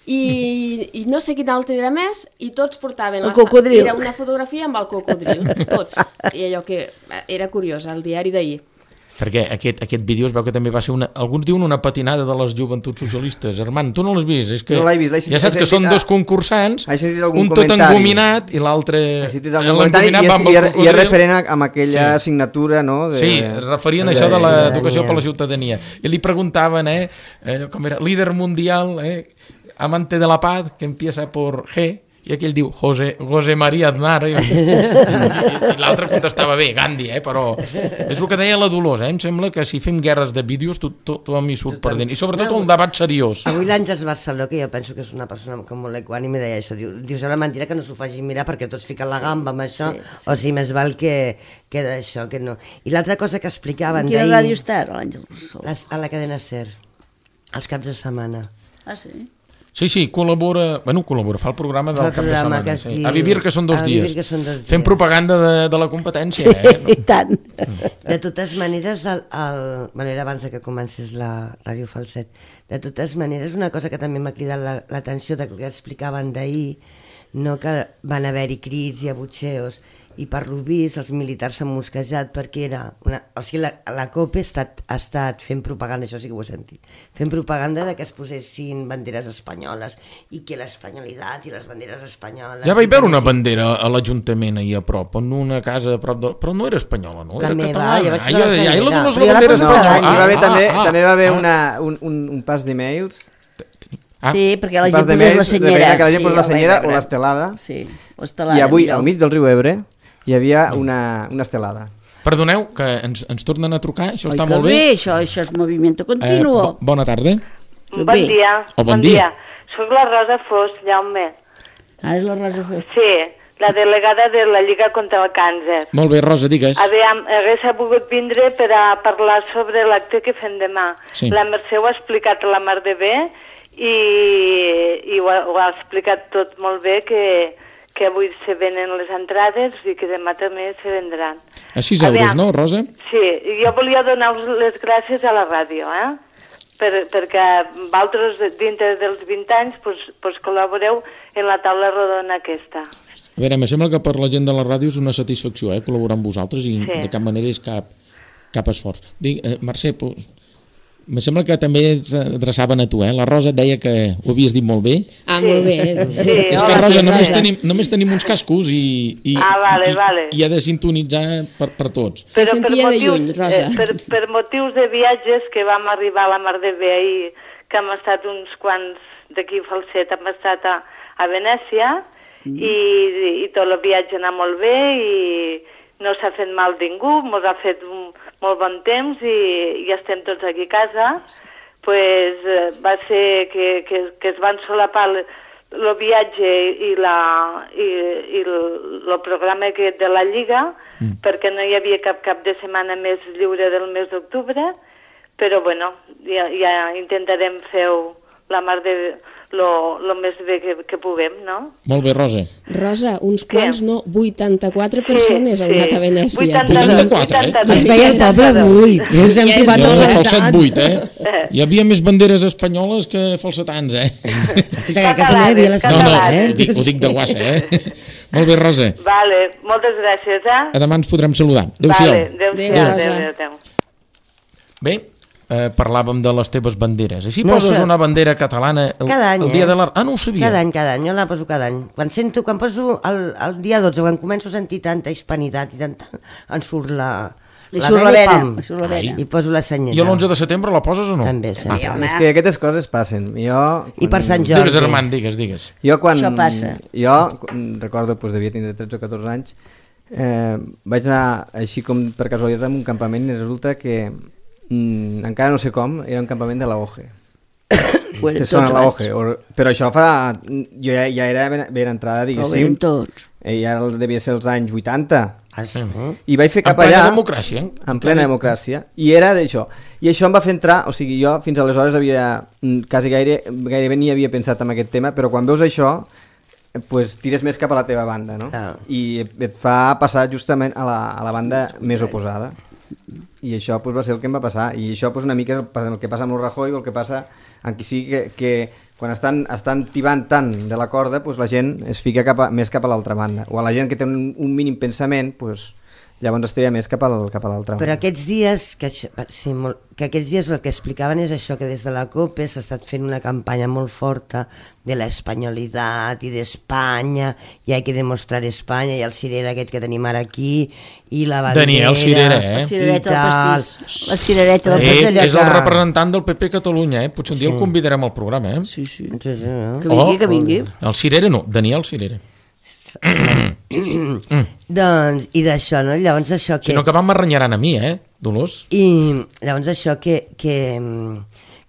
S5: i no sé quin altre era més, i tots portaven
S2: el cocodril.
S5: Era una fotografia amb el cocodril, tots. I allò que era curiós, el diari d'ahir.
S1: Perquè aquest vídeo es veu que també va ser alguns diuen una patinada de les joventuts socialistes. Armand, tu no l'has vist? És que
S3: no l'he vist.
S1: Ja saps que són dos concursants, un tot engominat i l'altre engominat va amb el cocodril.
S3: I és referent amb aquella assignatura, no?
S1: Sí, referien això de l'educació per la ciutadania. I li preguntaven, com era, líder mundial, amante de la paz, que empieza por G, i aquell diu José María Aznar, i l'altre contestava bé, Gandhi, però és el que deia la Dolors, em sembla que si fem guerres de vídeos tothom hi surt perdent, i sobretot un debat seriós.
S4: Avui l'Àngels Barceló, que jo penso que és una persona com molt equànime, deia això, diu, la mentira que no s'ho faci mirar perquè tots fiquen la gamba amb això, o sigui, més val que d'això, que no. I l'altra cosa que explicaven d'ahir...
S2: Quina ràdio està, l'Àngels Barceló?
S4: A la cadena SER, els caps de setmana.
S2: Ah, sí?
S1: Sí, col·labora, fa el programa del cap de setmana. A vivir que són 2 dies. Fem propaganda de la competència.
S2: Sí, i tant.
S4: De totes maneres, era abans que comencés la Ràdio Falset, de totes maneres, una cosa que també m'ha cridat l'atenció del que explicaven d'ahir, no, que van haver-hi crits i abutxeos, i per lo vist els militars s'han mosquejat perquè era... O sigui, la COPE ha estat fent propaganda, això sí que ho he sentit, fent propaganda de que es posessin banderes espanyoles i que l'espanyolitat i les banderes espanyoles...
S1: Ja vaig veure una bandera a l'Ajuntament ahir a prop, en una casa a prop de... Però no era espanyola, no?
S4: La
S1: era
S4: meva,
S1: catalana.
S4: ja vaig
S1: la
S4: veure
S1: de les banderes espanyoles.
S3: També va haver un pas d'emails.
S2: Sí, perquè la gent posés la senyera.
S3: Que la gent posés la senyera o l'estelada.
S2: Sí, l'estelada.
S3: I avui, al mig del riu Ebre, hi havia una estelada.
S1: Perdoneu, que ens tornen a trucar, això està molt
S2: bé. Això és moviment continu.
S1: Bona tarda.
S7: Bon dia.
S1: Bon dia.
S7: Soc la Rosa Fos, Jaume.
S2: Ah, és la Rosa Fos.
S7: Sí, la delegada de la Lliga contra el Càncer.
S1: Molt bé, Rosa, digues.
S7: Hagués volgut vindre per a parlar sobre l'acte que fem demà.
S1: Sí.
S7: La Mercè ho ha explicat a la mar de bé i ho ha explicat tot molt bé, que avui se venen les entrades i que demà també se vendran.
S1: A 6 euros, no, Rosa?
S7: Sí, jo volia donar-vos les gràcies a la ràdio, perquè vosaltres dintre dels 20 anys pues col·laboreu en la taula rodona aquesta.
S1: A veure, em sembla que per la gent de la ràdio és una satisfacció col·laborar amb vosaltres i de cap manera és cap esforç. Mercè, em sembla que també s'adreçaven a tu, La Rosa et deia que ho havies dit molt bé.
S5: Ah, molt bé.
S1: És que, Rosa, només tenim uns cascos i ha de sintonitzar per tots.
S5: Te sentia de lluny, Rosa.
S7: Per motius de viatges que vam arribar a la mar de bé ahir, que hem estat uns quants d'aquí a Falset, hem estat a Venècia, i tot el viatge anar molt bé i no s'ha fet mal ningú, ens ha fet molt bon temps i ja estem tots aquí a casa. Pues, va ser que es van solapar el viatge i el programa de la Lliga, perquè no hi havia cap de setmana més lliure del mes d'octubre, però bueno, ja intentarem fer la mar de lo més bé que puguem, no?
S1: Molt bé, Rosa.
S5: Rosa, uns quants, no, 84 persones han anat a Venècia.
S1: 84,
S4: Es veia el poble 8. Ens hem trobat
S1: el falset 8, Hi havia més banderes espanyoles que falsetans,
S4: Escolta, que a casa meva hi havia la senyora,
S1: Ho dic de guassa, Molt bé, Rosa.
S7: Vale, moltes gràcies,
S1: A demà ens podrem saludar. Adéu-siau.
S7: Adéu.
S1: Bé, parlàvem de les teves banderes. Així poses una bandera catalana el dia de la... Ah, no ho sabia.
S4: Cada any, jo la poso cada any. Quan poso el dia 12, quan començo a sentir tanta hispanitat i tanta... em surt la la ven i pam,
S2: Ai.
S4: i poso la senyeta.
S1: I l'11 de setembre la poses o no?
S4: També, sempre.
S3: És que aquestes coses passen.
S4: I per Sant Jordi.
S1: Digues, Armand, digues.
S3: Jo quan...
S2: Això passa.
S3: Jo recordo, devia tindre 13 o 14 anys, vaig anar així com per casualitat en un campament i resulta que encara no sé com, era un campament de la OGE. Te sona la OGE, però això fa... Jo ja era ben entrada, diguéssim.
S2: Tots.
S3: Ja devia ser els anys 80.
S4: Sí.
S3: I vaig fer cap
S1: allà...
S3: allà...
S1: democràcia.
S3: En plena democràcia. I era d'això. I això em va fer entrar... O sigui, jo fins aleshores havia... quasi gairebé ni havia pensat en aquest tema, però quan veus això, pues, tires més cap a la teva banda, no? I et fa passar justament a la banda més oposada. I això pues, va ser el que em va passar. I això pues, una mica és el que passa amb el Rajoy o el que passa amb qui sigui que quan estan tibant tant de la corda, pues, la gent es fica més cap a l'altra banda. O a la gent que té un mínim pensament, pues, llavors es tira més cap a l'altra.
S4: Però aquests dies, que aquests dies el que explicaven és això, que des de la COPE s'ha estat fent una campanya molt forta de l'espanyolitat i d'Espanya, i hay que demostrar Espanya, i el cirera aquest que tenim ara aquí, i la bandera...
S1: Daniel Cirera,
S2: La cirereta del pastís. La cirereta del
S4: pastís.
S1: És el representant del PP Catalunya, Potser un dia el convidarem al programa,
S2: Sí.
S4: No?
S2: Que vingui.
S1: El Cirera no, Daniel Cirera.
S4: Doncs, i d'això, no? Llavors això que...
S1: Si no que m'arranyaran a mi, Dolors?
S4: I llavors això que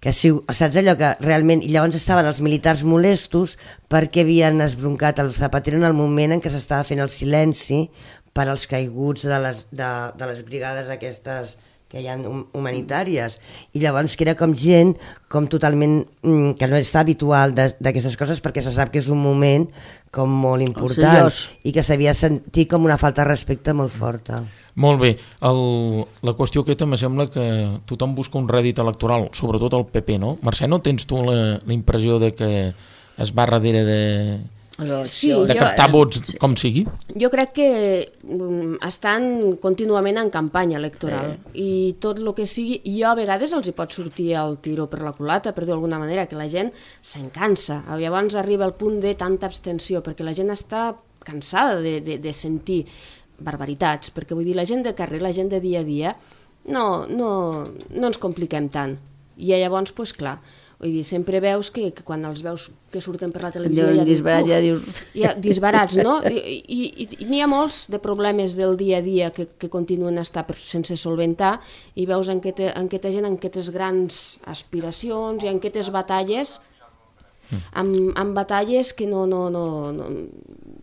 S4: saps allò que realment... I llavors estaven els militars molestos perquè havien esbroncat el Zapatero en el moment en què s'estava fent el silenci per als caiguts de les brigades aquestes que hi ha humanitàries, i llavors que era com gent com totalment que no està habitual d'aquestes coses, perquè se sap que és un moment com molt important i que s'havia sentit com una falta de respecte molt forta.
S1: Molt bé, la qüestió aquesta me sembla que tothom busca un rèdit electoral, sobretot el PP, no? Mercè, no tens tu la impressió de que es va darrere de captar vots com sigui?
S5: Jo crec que estan contínuament en campanya electoral i tot el que sigui, jo a vegades els hi pot sortir el tiro per la culata, per dir d'alguna manera, que la gent se'n cansa. Llavors arriba al punt de tanta abstenció, perquè la gent està cansada de sentir barbaritats, perquè vull dir, la gent de carrer, la gent de dia a dia, no ens compliquem tant. I llavors, doncs clar, vull dir, sempre veus que quan els veus que surten per la televisió
S2: ja dius...
S5: disbarats, no? I n'hi ha molts de problemes del dia a dia que continuen a estar sense solventar, i veus en aquesta gent, en aquestes grans aspiracions i en aquestes batalles, amb batalles que no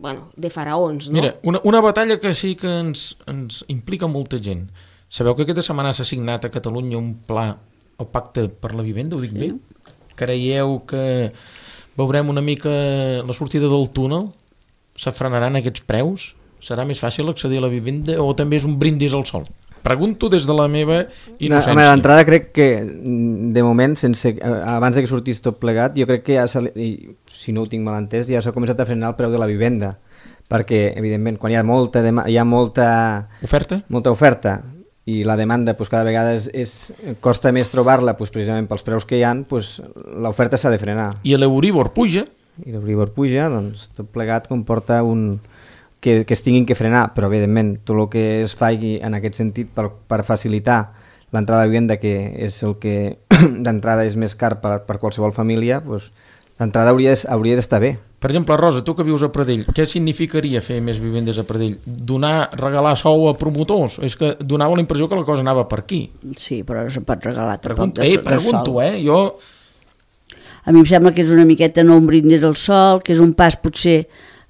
S5: bueno, de faraons, no?
S1: Mira, una batalla que sí que ens implica molta gent. Sabeu que aquesta setmana s'ha signat a Catalunya un pla, el pacte per la vivenda, ho dic bé? Creieu que veurem una mica la sortida del túnel? S'afrenaran aquests preus? Serà més fàcil accedir a la vivenda o també és un brindis al sol? Pregunto des de la meva innocència.
S3: D'entrada crec que de moment, abans que sortís tot plegat, jo crec que ja, si no ho tinc mal entès, ja s'ha començat a frenar el preu de la vivenda, perquè evidentment quan hi ha molta oferta i la demanda pues, cada vegada costa més trobar-la pues, precisament pels preus que hi ha, pues, l'oferta s'ha de frenar.
S1: I l'Euribor puja.
S3: I l'Euribor puja, doncs tot plegat comporta que es tinguin que frenar, però evidentment tot el que es faci en aquest sentit per facilitar l'entrada de vivenda, que és el que d'entrada és més car per qualsevol família, pues, d'entrada hauria d'estar bé.
S1: Per exemple, Rosa, tu que vius a Pradell, què significaria fer més vivendes a Pradell? Regalar sou a promotors? És que donava la impressió que la cosa anava per aquí.
S2: Sí, però no se pot regalar tampoc de
S1: pregunto,
S2: sol.
S1: Jo...
S2: A mi em sembla que és una miqueta no un brindis al sol, que és un pas potser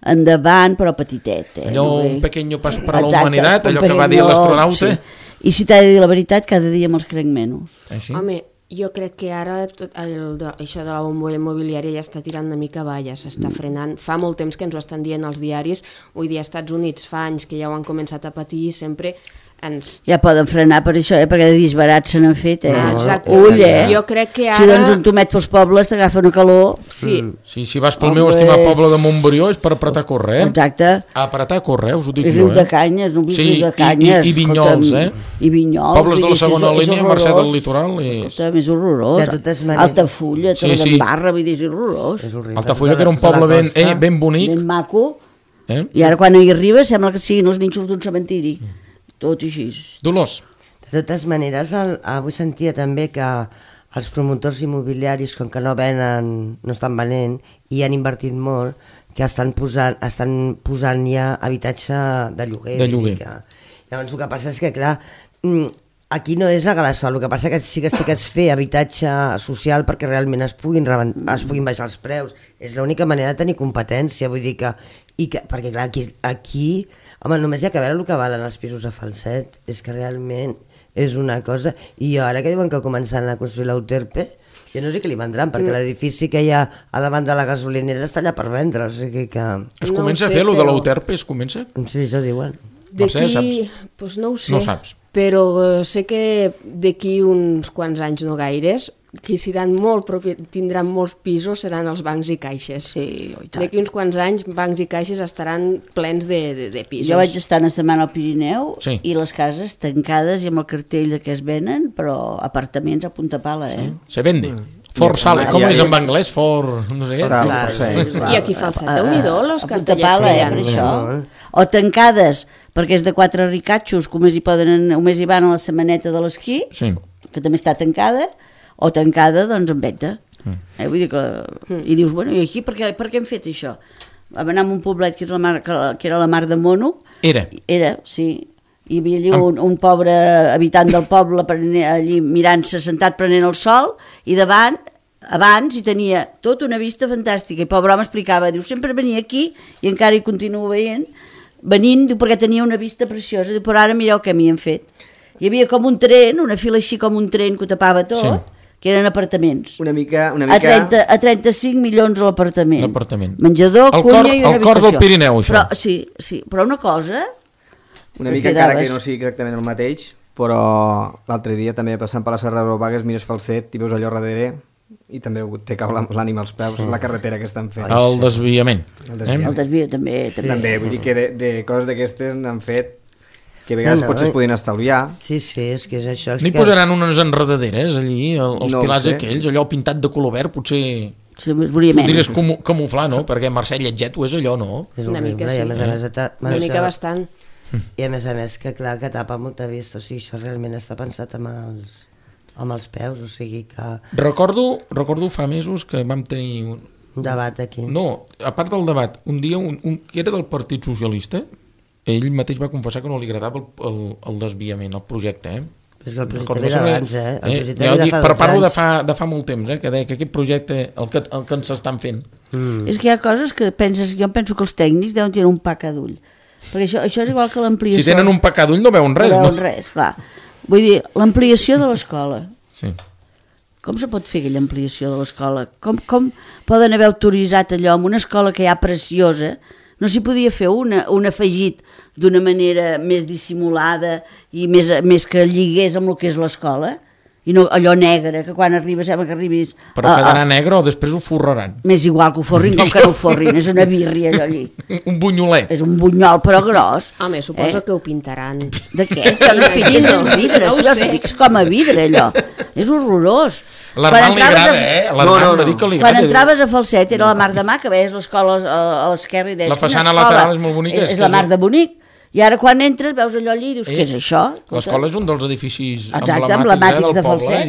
S2: endavant, però petitet.
S1: Allò, un pequeño pas per a la humanitat, allò que va dir l'astronauta.
S2: Sí. I si t'ha de dir la veritat, cada dia me'ls crec menys.
S1: Sí?
S5: Home, jo crec que ara això de la bombolla immobiliària ja està tirant una mica avall, s'està frenant. Fa molt temps que ens ho estan dient els diaris, vull dir, als Estats Units fa anys que ja ho han començat a patir i sempre ens...
S2: Ja poden frenar per això, perquè de disbarats se n'han fet,
S5: Exacte.
S2: Ull,
S5: Jo crec que ara...
S2: Si dones un tomet pels pobles t'agafa una calor.
S5: Sí.
S1: Si vas pel meu estimat poble de Montbrió és per apretar a córrer,
S2: Exacte.
S1: Apretar a córrer, us ho dic
S2: I
S1: jo,
S2: Riu de Canyes, no vull Riu de Canyes.
S1: I Vinyols,
S2: I Vinyols.
S1: Pobles de la segona línia, Mercè del Litoral.
S2: És horrorós. Altafulla, Torredembarra, vull dir, és horrorós.
S1: Altafulla, que era un poble ben bonic.
S2: Ben maco. I ara quan hi arribes sembla que siguin els nínxols d'un cementiri. Tot així.
S1: Dolors.
S4: De totes maneres, avui sentia també que els promotors immobiliaris, com que no estan venent i han invertit molt, que estan posant ja habitatge de lloguer. Llavors el que passa és que, clar, aquí no és regalar sol, el que passa que sí que estic a fer habitatge social perquè realment es puguin baixar els preus. És l'única manera de tenir competència, vull dir que perquè clar, aquí home, només hi ha que veure el que valen els pisos a Falset, és que realment és una cosa, i ara que diuen que començaran a construir l'Euterpe, jo no sé què li vendran, perquè l'edifici que hi ha a davant de la gasolinera està allà per vendre, o sigui que...
S1: Es comença a fer, lo de l'Euterpe, es comença?
S4: Sí, això diuen.
S5: D'aquí, doncs no ho sé,
S1: no saps.
S5: Però sé que d'aquí uns quants anys, no gaires, qui tindran molts pisos seran els bancs i caixes.
S2: Sí, i tant.
S5: D'aquí uns quants anys, bancs i caixes estaran plens de pisos.
S2: Jo vaig estar una setmana al Pirineu
S1: i
S2: les cases tancades i amb el cartell que es venen, però apartaments a punta pala,
S1: Se vende. For sale, com és en anglès? For... no sé què.
S5: I aquí Falset, Déu-n'hi-do, els cartellets que hi ha.
S2: Això. O tancades, perquè és de 4 ricatxos, que només hi van a la setmaneta de l'esquí, que també està tancada, o tancada, doncs, en venda. Vull dir que... I dius, bueno, i aquí per què hem fet això? Vam anar a un poblet que era la Mar de Mono.
S1: Era,
S2: sí. Hi havia allí un pobre habitant del poble allí mirant-se, sentat prenent el sol, i abans hi tenia tota una vista fantàstica, i pobre home explicava, diu, sempre venia aquí, i encara hi continuo venint, diu, perquè tenia una vista preciosa, diu, però ara mireu què m'hi han fet. Hi havia com un tren, una fila així com un tren que ho tapava tot, que eren apartaments.
S3: Una mica...
S2: A 35 milions l'apartament. Menjador,
S1: cuina i una habitació. El cor del Pirineu, això.
S2: Sí, però una cosa...
S3: Una mica, encara que no sigui exactament el mateix, però l'altre dia també passant per la Serra de Vagues mires Falset i veus allò darrere i també te cau l'ànima als peus, la carretera que estan fent.
S1: El desviament.
S2: El desvio també.
S3: També, vull dir que de coses d'aquestes n'han fet que a vegades potser es podien estalviar.
S4: Sí, és que és això.
S1: N'hi posaran unes enredaderes allí, els pilars aquells, allò pintat de color verd, potser...
S2: Sí, podries
S1: camuflar, no? Perquè Mercè Lletget ho és allò, no?
S4: És una mica, sí.
S5: Una mica bastant.
S4: I a més, que clar, que tapa molta vista, o sigui, això realment està pensat amb els peus, o sigui que...
S1: Recordo fa mesos que vam tenir...
S4: Un debat aquí.
S1: No, a part del debat, un dia que era del Partit Socialista, ell mateix va confessar que no li agradava el desviament, el projecte,
S4: És que el projecte ve d'abans, El projecte ve de fa 12 anys.
S1: Parlo de fa molt temps, que deia que aquest projecte, el que ens estan fent.
S2: És que hi ha coses que jo penso que els tècnics deuen tenir un paca d'ull. Perquè això és igual que l'ampliació...
S1: Si tenen un pecat d'ull no veuen res, no?
S2: No veuen res, clar. Vull dir, l'ampliació de l'escola.
S1: Sí.
S2: Com se pot fer aquella ampliació de l'escola? Com poden haver autoritzat allò en una escola que hi ha preciosa? No s'hi podia fer un afegit d'una manera més dissimulada i més que lligués amb el que és l'escola? I no allò negre, que quan arribes, sembla que arribis...
S1: Però quedarà negre o després ho forraran?
S2: M'és igual que ho forrin com que no ho forrin, és una birria allò allí.
S1: Un bunyolet.
S2: És un bunyol, però gros.
S5: Home, suposo que ho pintaran.
S2: De què? Que no pintes els vidres, no els pics com a vidre, allò. És horrorós.
S1: L'Armand li agrada, L'Armand va dir que li agrada.
S2: Quan entraves a Falset era la Mar de Mà, que veies l'escola a l'esquerra i deies...
S1: La façana lateral és molt bonica.
S2: És la Mar de Bonic. I ara quan entres veus allò allí i dius, què és això?
S1: L'escola és un dels edificis
S2: emblemàtics de Falset.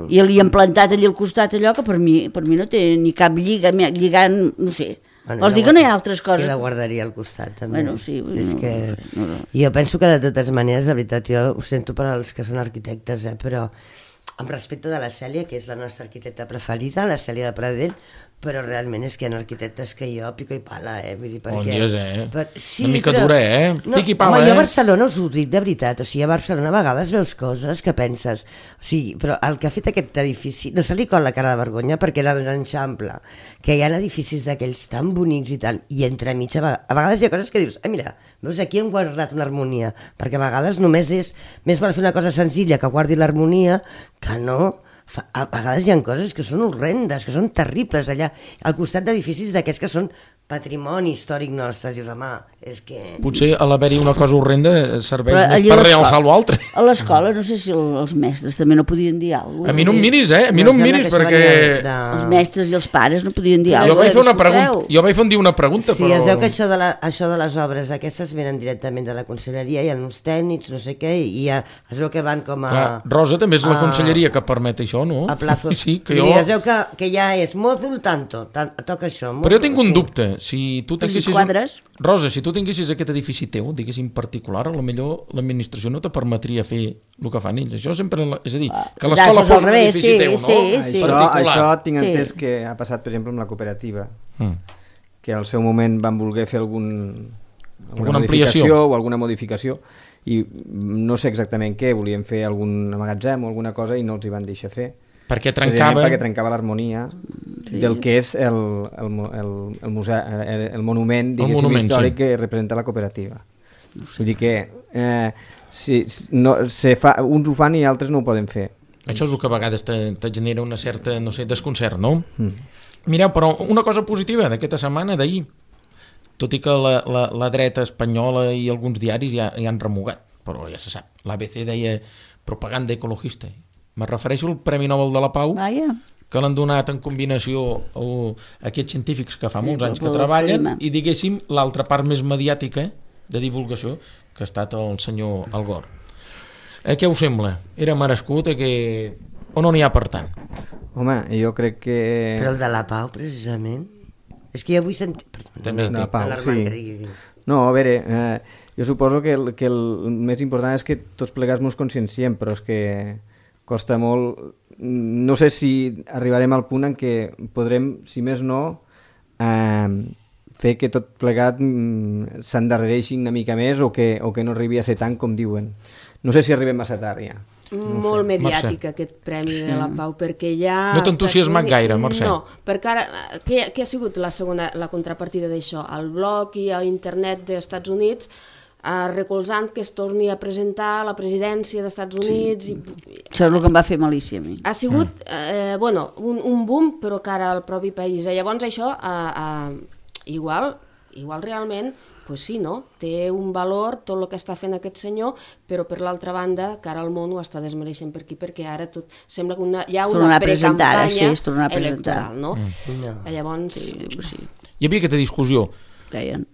S2: I li han plantat allí al costat allò que per mi no té ni cap lliga, lligant, no sé. Vols dir que no hi ha altres coses?
S4: I la guarderia al costat, també.
S2: Bueno, sí.
S4: Jo penso que de totes maneres, la veritat, jo ho sento per als que són arquitectes, però amb respecte de la Cèlia, que és la nostra arquitecta preferida, la Cèlia de Pradell, però realment és que hi ha arquitectes que jo pico i pala, vull dir, perquè...
S1: Sí, una mica dura, Pico i pala,
S4: home, jo a Barcelona us ho dic de veritat, o sigui, a Barcelona a vegades veus coses que penses, o sigui, però el que ha fet aquest edifici, no se li col la cara de vergonya perquè era l'Eixample, que hi ha edificis d'aquells tan bonics i tal, i entremig a vegades hi ha coses que dius, mira, veus, aquí hem guardat una harmonia, perquè a vegades només és, més val fer una cosa senzilla que guardi l'harmonia, que no... A vegades hi ha coses que són horrendes, que són terribles allà, al costat d'edificis d'aquests que són patrimoni històric nostre, dius, home, és que...
S1: Potser a l'haver-hi una cosa horrenda serveix
S2: Però
S1: més
S2: allí
S1: per
S2: a l'escola-
S1: realçar l'altre.
S2: A l'escola, no sé si els mestres també no podien dir alguna cosa.
S1: A mi no em miris, a mi no em miris, perquè...
S2: Els mestres i els pares no podien dir
S1: Jo
S2: alguna
S1: vaig fer una
S2: cosa.
S1: pregunta, jo vaig fer una pregunta,
S4: Sí,
S1: però...
S4: es veu que això de les obres aquestes venen directament de la conselleria, hi ha uns tècnics, no sé què, i es veu que van com a...
S1: Clar, Rosa, també és la conselleria que permet això, no?
S4: A plazos.
S1: Sí, que
S4: Vull
S1: jo...
S4: dir, es veu que ja és mòdul tanto, toca això.
S1: Però jo tinc un dubte, si tu
S2: Però si
S1: tinguessis...
S2: quadres...
S1: Rosa, si tu tinguessis aquest edifici teu, diguéssim particular, a lo millor l'administració no te permetria fer el que fan ells. Això sempre... És a dir, que l'escola
S2: al
S1: fos un
S2: revés,
S1: edifici
S2: sí,
S1: teu, no?
S2: sí.
S3: Això tinc
S2: Sí.
S3: entès que ha passat, per exemple, amb la cooperativa,
S1: Mm.
S3: que al seu moment van voler fer alguna
S1: ampliació.
S3: modificació o alguna modificació i no sé exactament què, volien fer algun magatzem o alguna cosa i no els hi van deixar fer.
S1: Perquè
S3: Precisament
S1: trencava...
S3: perquè trencava l'harmonia del que és el museu, el monument, diguéssim,
S1: monument,
S3: històric
S1: sí.
S3: que representa la cooperativa. Vull dir que uns ho fan i altres no ho poden fer.
S1: Això és el que a vegades te genera una certa, no sé, desconcert, no? Mireu, però una cosa positiva d'aquesta setmana, d'ahir, tot i que la dreta espanyola i alguns diaris ja han remugat, però ja se sap, l'ABC deia propaganda ecologista. Me refereixo al Premi Nobel de la Pau,
S2: Vaja.
S1: que l'han donat en combinació a aquests científics que fa molts anys que
S2: pel
S1: treballen
S2: clima.
S1: i, diguéssim, l'altra part més mediàtica de divulgació, que ha estat el senyor Al Gore. Què us sembla? Era merescut o no n'hi ha per tant?
S3: Home, jo crec que...
S4: Però el de la Pau, precisament... És que jo vull sentir...
S1: També
S3: de la Pau,
S4: Alarmant,
S3: sí.
S4: que digui.
S3: No, a veure, jo suposo que el més important és que tots plegats mos conscienciem, però és que costa molt... No sé si arribarem al punt en què podrem, si més no, fer que tot plegat s'endarrereixi una mica més o que no arribi a ser tant com diuen. No sé si arribem massa tard ja.
S5: Molt mediàtic aquest Premi de la Pau, perquè ja...
S1: No t'ha entusiasmat gaire, Mercè?
S5: No, perquè ara, què ha sigut la contrapartida d'això? El blog i l'internet dels Estats Units recolzant que es torni a presentar la presidència dels Estats Units. I...
S2: Això és el que em va fer malícia a mi.
S5: Ha sigut, un boom, però cara al propi país. Llavors això, igual realment, pues sí, no? Té un valor tot el que està fent aquest senyor, però per l'altra banda, cara al món ho està desmereixent per aquí, perquè ara tot sembla que hi ha una precampanya electoral, no? Llavors...
S2: Sí.
S1: Hi havia aquesta discussió.
S2: Deien.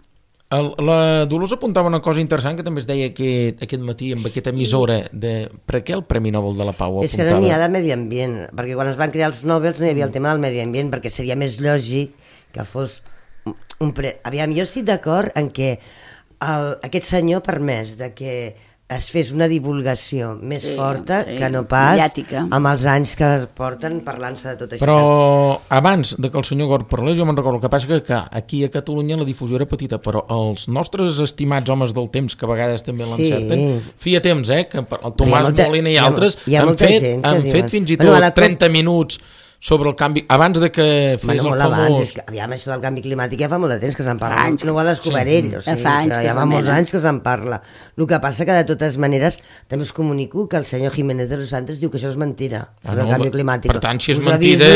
S1: La Dolors apuntava una cosa interessant que també es deia aquest matí amb aquesta emissora de per què el Premi Nobel de la Pau apuntava?
S4: És que no n'hi ha de medi ambient, perquè quan es van crear els Nobels no hi havia el tema del medi ambient, perquè seria més lògic que fos Aviam, jo estic d'acord en que aquest senyor ha permès de que es fes una divulgació més forta que no pas
S2: mediàtica.
S4: Amb els anys que porten parlant-se de tot això.
S1: Però abans de que el senyor Gore parlés, jo me'n recordo, el que passa que aquí a Catalunya la difusió era petita, però els nostres estimats homes del temps, que a vegades també l'encerten, feia temps, que el Tomàs Molina i altres han fet fins i tot 30 minuts sobre el canvi, abans de que fes el famós...
S4: Abans, és que, aviam, això del canvi climàtic ja fa molt de temps que se'n parla, no ho ha descobert ell, o sigui, que ja fa molts anys que se'n parla. El que passa que de totes maneres també us comunico que el senyor Jiménez de los Santos diu que això és mentira, el canvi climàtic.
S1: Per tant, si és mentida...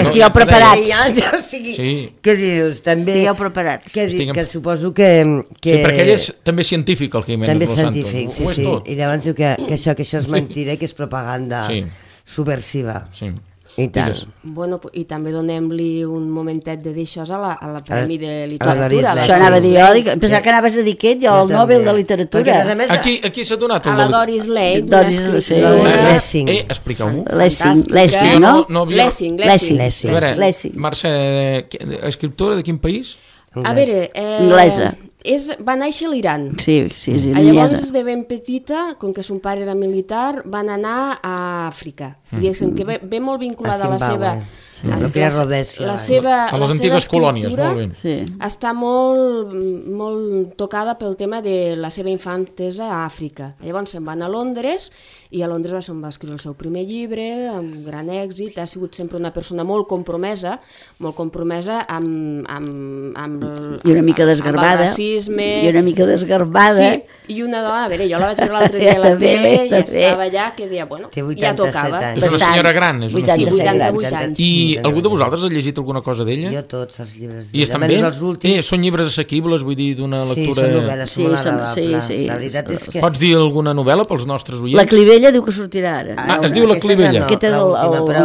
S2: Estigueu preparats.
S4: Què dius?
S2: Estigueu preparats.
S4: Que suposo que...
S1: Sí, perquè ell és també científic, el Jiménez de los Santos.
S4: També és científic, sí. I llavors diu que això és mentira i que és propaganda subversiva.
S1: Sí.
S4: I tant.
S5: Bueno, i també donem-li un momentet de dir això a la Premi de Literatura.
S2: Això anava a dir jo, pensava que anaves a dir aquest, jo el Nobel de Literatura.
S1: Aquí s'ha donat
S5: a la Doris Lake,
S4: Lessing.
S1: Expliqueu-m'ho.
S2: Lessing, no?
S5: Lessing.
S1: A veure, Mercè, escriptora de quin país?
S5: A veure...
S2: Anglesa.
S5: Va néixer a l'Iran.
S2: Sí, és iraniesa.
S5: Llavors, de ben petita, com que son pare era militar, van anar a Àfrica. Diguéssim que ve molt vinculada a la seva...
S1: A les antigues colònies, molt bé.
S2: Sí.
S5: Està molt tocada pel tema de la seva infantesa a Àfrica. Llavors se'n van a Londres i a Londres se'n va escriure el seu primer llibre amb gran èxit. Ha sigut sempre una persona molt compromesa amb
S2: i una mica desgarbada.
S5: Amb el racisme.
S2: I una mica desgarbada.
S5: Sí, I una dona, a veure, jo la vaig veure l'altre dia a la tele i estava allà que deia, bueno, ja tocava.
S1: És una senyora gran, és una senyora.
S5: 88 anys.
S1: I algú de vosaltres ha llegit alguna cosa d'ella?
S4: Jo tots els llibres d'ella.
S1: I estan bé? Són llibres assequibles, vull dir, d'una lectura...
S4: Sí, són novel·les molt agradables. La veritat és que...
S1: Pots dir alguna novel·la pels nostres oients?
S2: La Clivella diu que sortirà ara.
S1: Es diu La Clivella.
S2: Aquest és el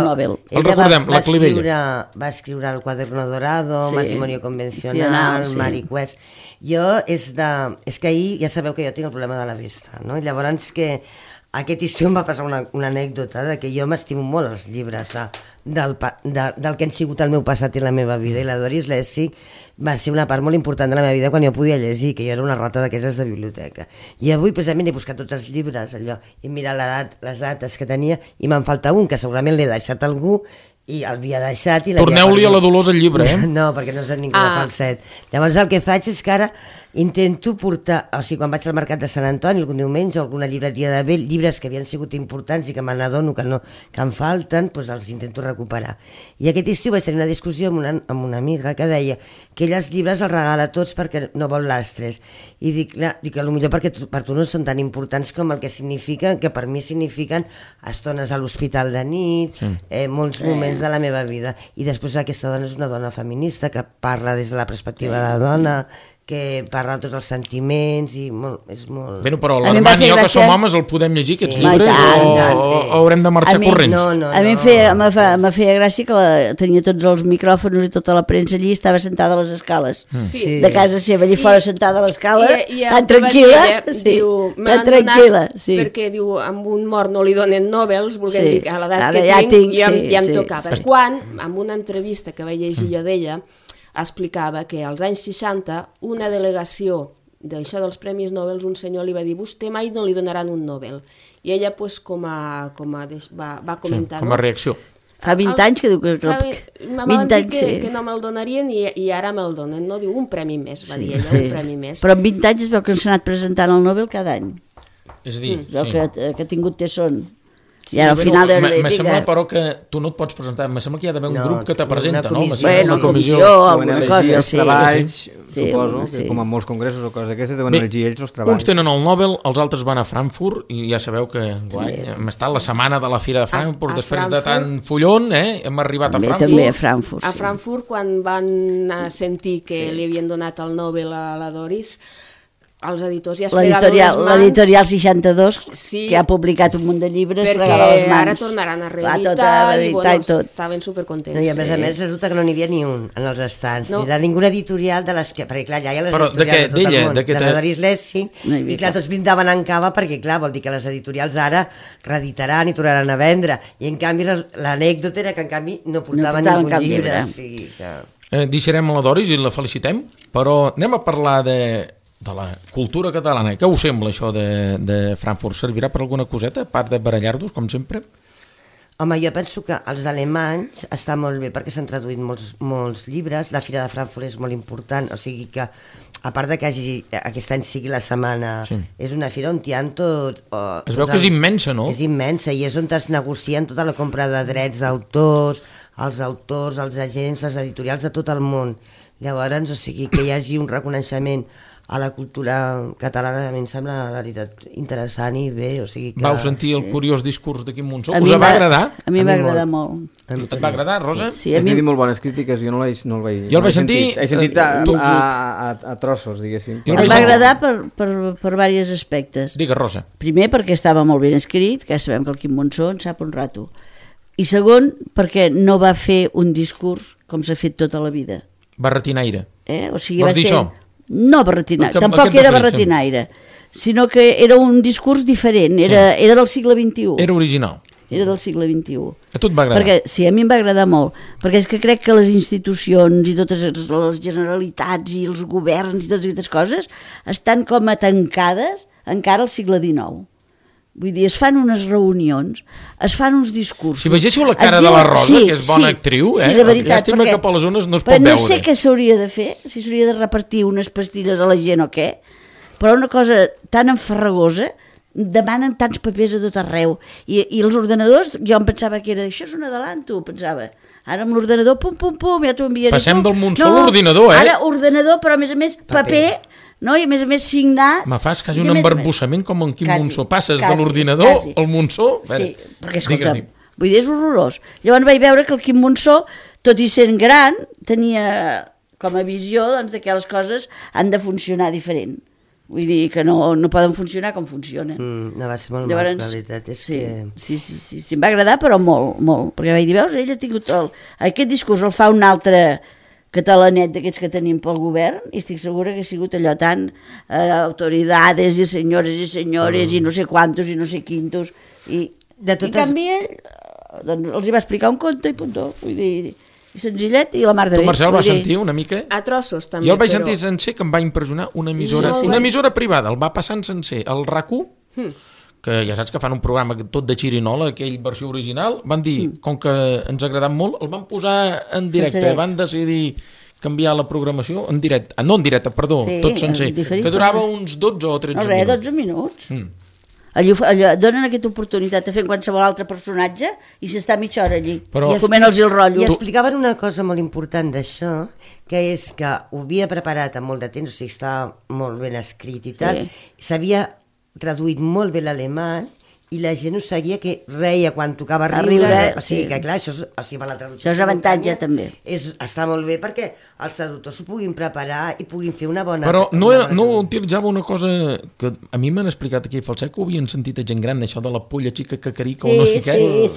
S2: Nobel.
S1: El recordem, La Clivella.
S4: Va escriure El Cuaderno Dorado, Matrimonio Convencional, Mariqués. Jo és que ahir ja sabeu que jo tinc el problema de la vista, no? I llavors que aquest estiu em va passar una anècdota de que jo m'estimo molt els llibres del que han sigut el meu passat i la meva vida, i la Doris Lessig va ser una part molt important de la meva vida quan jo podia llegir, que jo era una rata d'aquestes de biblioteca. I avui precisament he buscat tots els llibres, allò, he mirat les dates que tenia i me'n falta un que segurament l'he deixat a algú i l'havia deixat i
S1: torneu-li a la Dolors el llibre, eh?
S4: No, perquè no sé ningú de falset. Llavors el que faig és que ara intento portar, o sigui, quan vaig al mercat de Sant Antoni algun diumenge o alguna llibreria de vell, llibres que havien sigut importants i que me n'adono que em falten, doncs els intento recuperar. I aquest estiu vaig tenir una discussió amb una amiga que deia que ella els llibres els regala tots perquè no vol lastres. I dic que potser perquè per tu no són tan importants com el que signifiquen, que per mi signifiquen estones a l'hospital de nit, molts moments de la meva vida. I després aquesta dona és una dona feminista que parla des de la perspectiva de la dona, que parla de tots els sentiments i és molt...
S1: Bé, però l'Armand i jo que som homes el podem llegir aquests llibres o haurem de marxar corrents?
S2: A mi me feia gràcia que tenia tots els micròfons i tota la premsa allí i estava sentada a les escales de casa seva, allí fora sentada a l'escala, tan tranquil·la, tan tranquil·la.
S5: Perquè diu, amb un mort no li donen Nobels, volguem dir que a l'edat que tinc ja em tocava. Quan, en una entrevista que vaig llegir jo d'ella, explicava que als anys 60 una delegació d'això dels Premis Nobel, un senyor li va dir vostè mai no li donaran un Nobel. I ella pues, va comentar...
S1: Com a reacció.
S2: Fa 20 anys que diu que...
S5: Me van dir que no me'l donarien i ara me'l donen. No diu un premi més, va dir ella, un premi més.
S2: Però en 20 anys es veu que s'ha anat presentant el Nobel cada any.
S1: És a dir,
S2: que ha tingut tesson. I ara al final de
S1: me sembla però que tu no et pots presentar, me sembla que hi ha d'haver un grup que te presenta, no?
S2: Una comissió, alguna cosa,
S3: els treballs, suposo, que com en molts congressos o coses d'aquestes deuen elegir ells els treballs.
S1: Uns tenen el Nobel, els altres van a Frankfurt i ja sabeu que hem estat la setmana de la Fira de Frankfurt, després de tant follon, hem arribat a Frankfurt.
S2: També a Frankfurt.
S5: A Frankfurt, quan van sentir que li havien donat el Nobel a la Doris, els editors ja es fregaven les mans.
S2: L'editorial 62, que ha publicat un munt de llibres, fregava les mans.
S5: Perquè ara tornaran a reeditar i estaven supercontents.
S4: I a més resulta que no n'hi havia ni un en els estants, ni de ninguna editorial de les que... Perquè clar, ja hi ha les editorials de tot el món, de la Doris Lessig, i clar, tots brindaven en cava perquè clar, vol dir que les editorials ara reeditaran i tornaran a vendre, i en canvi l'anècdota era que en canvi no portaven ningú llibre.
S1: Deixarem a la Doris i la felicitem, però anem a parlar de la cultura catalana. Què us sembla això de Frankfurt? Servirà per alguna coseta, a part de barallar-vos, com sempre?
S4: Home, jo penso que els alemanys està molt bé perquè s'han traduït molts llibres, la Fira de Frankfurt és molt important, o sigui que a part de que aquest any sigui la setmana, és una fira on hi ha tot...
S1: Es veu que és immensa, no?
S4: És immensa i és on es negocien tota la compra de drets d'autors, els autors, els agents, les editorials de tot el món. Llavors, o sigui, que hi hagi un reconeixement a la cultura catalana, a mi em sembla la veritat interessant i bé, o sigui que...
S1: Vau sentir el curiós discurs de Quim Monzó? Us va agradar?
S2: A mi m'ha agradat molt.
S1: Et va agradar, Rosa?
S3: Sí, a mi... He dit molt bones crítiques, jo no el vaig...
S1: Jo el vaig sentir...
S3: He sentit a trossos, diguéssim.
S2: Em va agradar per diversos aspectes.
S1: Digues, Rosa.
S2: Primer, perquè estava molt ben escrit, que sabem que el Quim Monzó en sap un rato. I segon, perquè no va fer un discurs com s'ha fet tota la vida.
S1: Barretinaire.
S2: O sigui,
S1: vols dir això?
S2: No barretinaire, tampoc era barretinaire, sinó que era un discurs diferent, era del segle XXI.
S1: Era original.
S2: Era del segle XXI.
S1: A tu et va agradar?
S2: Sí, a mi em va agradar molt, perquè és que crec que les institucions i totes les generalitats i els governs i totes aquestes coses estan com a tancades encara al segle XIX. Vull dir, es fan unes reunions, es fan uns discursos...
S1: Si vegéssiu la cara de la Rosa, que és bona actriu,
S2: sí, de veritat,
S1: llàstima que per les zones no es pot veure.
S2: No sé què s'hauria de fer, si s'hauria de repartir unes pastilles a la gent o què, però una cosa tan enfarragosa, demanen tants papers a tot arreu, i els ordenadors, jo em pensava que era, això és un adelanto, pensava, ara amb l'ordenador, pum, pum, pum, ja t'ho enviaré.
S1: Passem del Monzó a l'ordinador,
S2: Ara ordenador, però a més paper no? I a més signar...
S1: Me fas quasi un embarbussament com en Quim Monzó. Passes de l'ordinador al Monzó.
S2: Sí, perquè escolta'm, vull dir, és horrorós. Llavors vaig veure que el Quim Monzó, tot i sent gran, tenia com a visió que les coses han de funcionar diferent. Vull dir que no poden funcionar com funcionen.
S4: No va ser molt mal, la veritat és que...
S2: Sí, em va agradar, però molt, perquè vaig dir, veus, ell ha tingut aquest discurs, el fa un altre catalanet d'aquests que tenim pel govern, i estic segura que ha sigut allò tan autoridades i senyores i no sé quantos i no sé quintos, i en canvi ell doncs, els hi va explicar un conte i puntó, vull dir... senzillet i la mar de bé.
S1: Tu, Marcel, vas sentir una mica?
S5: A trossos, també.
S1: Jo el vaig sentir sencer, que em va impressionar una emissora privada, el va passar en sencer, el RAC1, que ja saps que fan un programa tot de xirinola, aquell versió original, van dir, com que ens ha agradat molt, el van posar en directe, van decidir canviar la programació en directe, no en directe, perdó, tot sencer, que durava uns 12 o 13 minuts.
S2: 12 minuts. Donen aquesta oportunitat de fer qualsevol altre personatge i s'està mitja hora allí, coment-los el rotllo.
S4: I explicaven una cosa molt important d'això, que és que ho havia preparat amb molt de temps, o sigui, estava molt ben escrit i tal, s'havia traduït molt bé l'alemany, i la gent ho seguia, que reia quan tocava riure. O sigui, que clar, això per la traducció...
S2: Això és avantatge, també.
S4: Està molt bé perquè els traductors s'ho puguin preparar i puguin fer una bona...
S1: Però no utilitzava una cosa que a mi m'han explicat aquí a Falset, que ho havien sentit a gent gran, això de la polla xica cacarica o no sé què.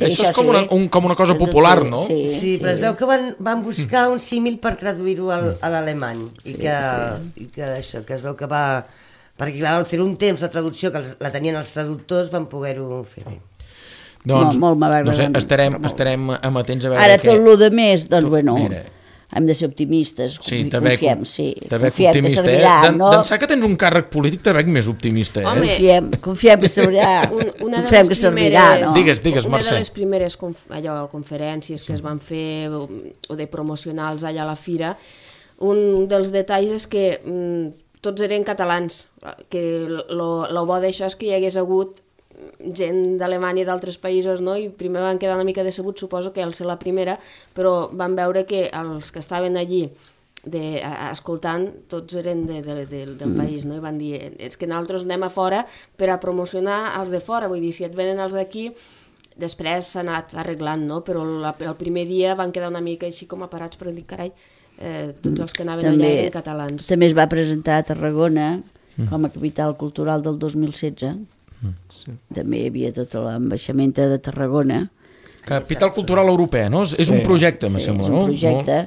S1: Això és com una cosa popular, no?
S4: Sí, però es veu que van buscar un símil per traduir-ho a l'alemany i que això, que es veu que va... Perquè, clar, al fer un temps la traducció, que la tenien els traductors, van poder-ho fer bé.
S1: Doncs,
S2: molt m'ha agradat.
S1: No sé, estarem amatents a veure...
S2: Ara, tot el de més, doncs, bueno, hem de ser optimistes, confiem,
S1: que servirà, no? D'ençà que tens un càrrec polític, te veig més optimista,
S2: Confiem que servirà, no?
S1: Digues, Mercè.
S5: Una de les primeres conferències que es van fer, o de promocionals allà a la fira, un dels detalls és que tots eren catalans, que el bo d'això és que hi hagués hagut gent d'Alemanya i d'altres països, no? I primer van quedar una mica decebuts, suposo que al ser la primera, però van veure que els que estaven allí escoltant, tots eren del país, no? I van dir, és que nosaltres anem a fora per a promocionar els de fora, vull dir, si et venen els d'aquí, després s'ha anat arreglant, no? Però el primer dia van quedar una mica així com aparats per dir, carai, tots els que anaven allà eren catalans.
S2: També es va presentar a Tarragona com a capital cultural del 2016. També hi havia tota l'ambaixamenta de Tarragona.
S1: Capital cultural europea, no? És un projecte, me sembla, no?
S2: És un projecte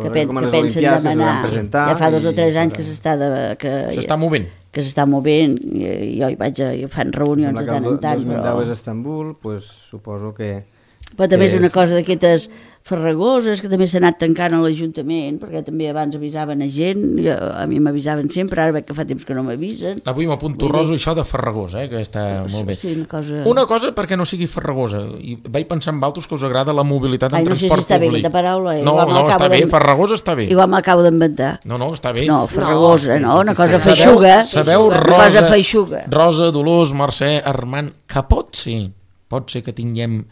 S2: que pensen demanar. Ja fa 2 o 3 anys que
S1: s'està movent.
S2: Que s'està movent, jo hi vaig a... fan reunions de tant en tant.
S3: El 2010 és a Estambul, suposo que...
S2: Però també és una cosa d'aquestes farragoses, que també s'ha anat tancant a l'Ajuntament, perquè també abans avisaven a gent, a mi m'avisaven sempre, ara veig que fa temps que no m'avisen.
S1: Avui m'apunto roso això de farragosa, que està molt bé.
S2: Sí,
S1: una cosa perquè no sigui farragosa, i vaig pensar en altres que us agrada la mobilitat en transport públic.
S2: No sé si està bé aquesta paraula.
S1: No, està bé, farragosa està bé.
S2: Igual m'acabo d'inventar.
S1: No, està bé.
S2: No, farragosa, no, una cosa feixuga.
S1: Sabeu, Rosa, Dolors, Mercè, Armand, que pot ser que tinguem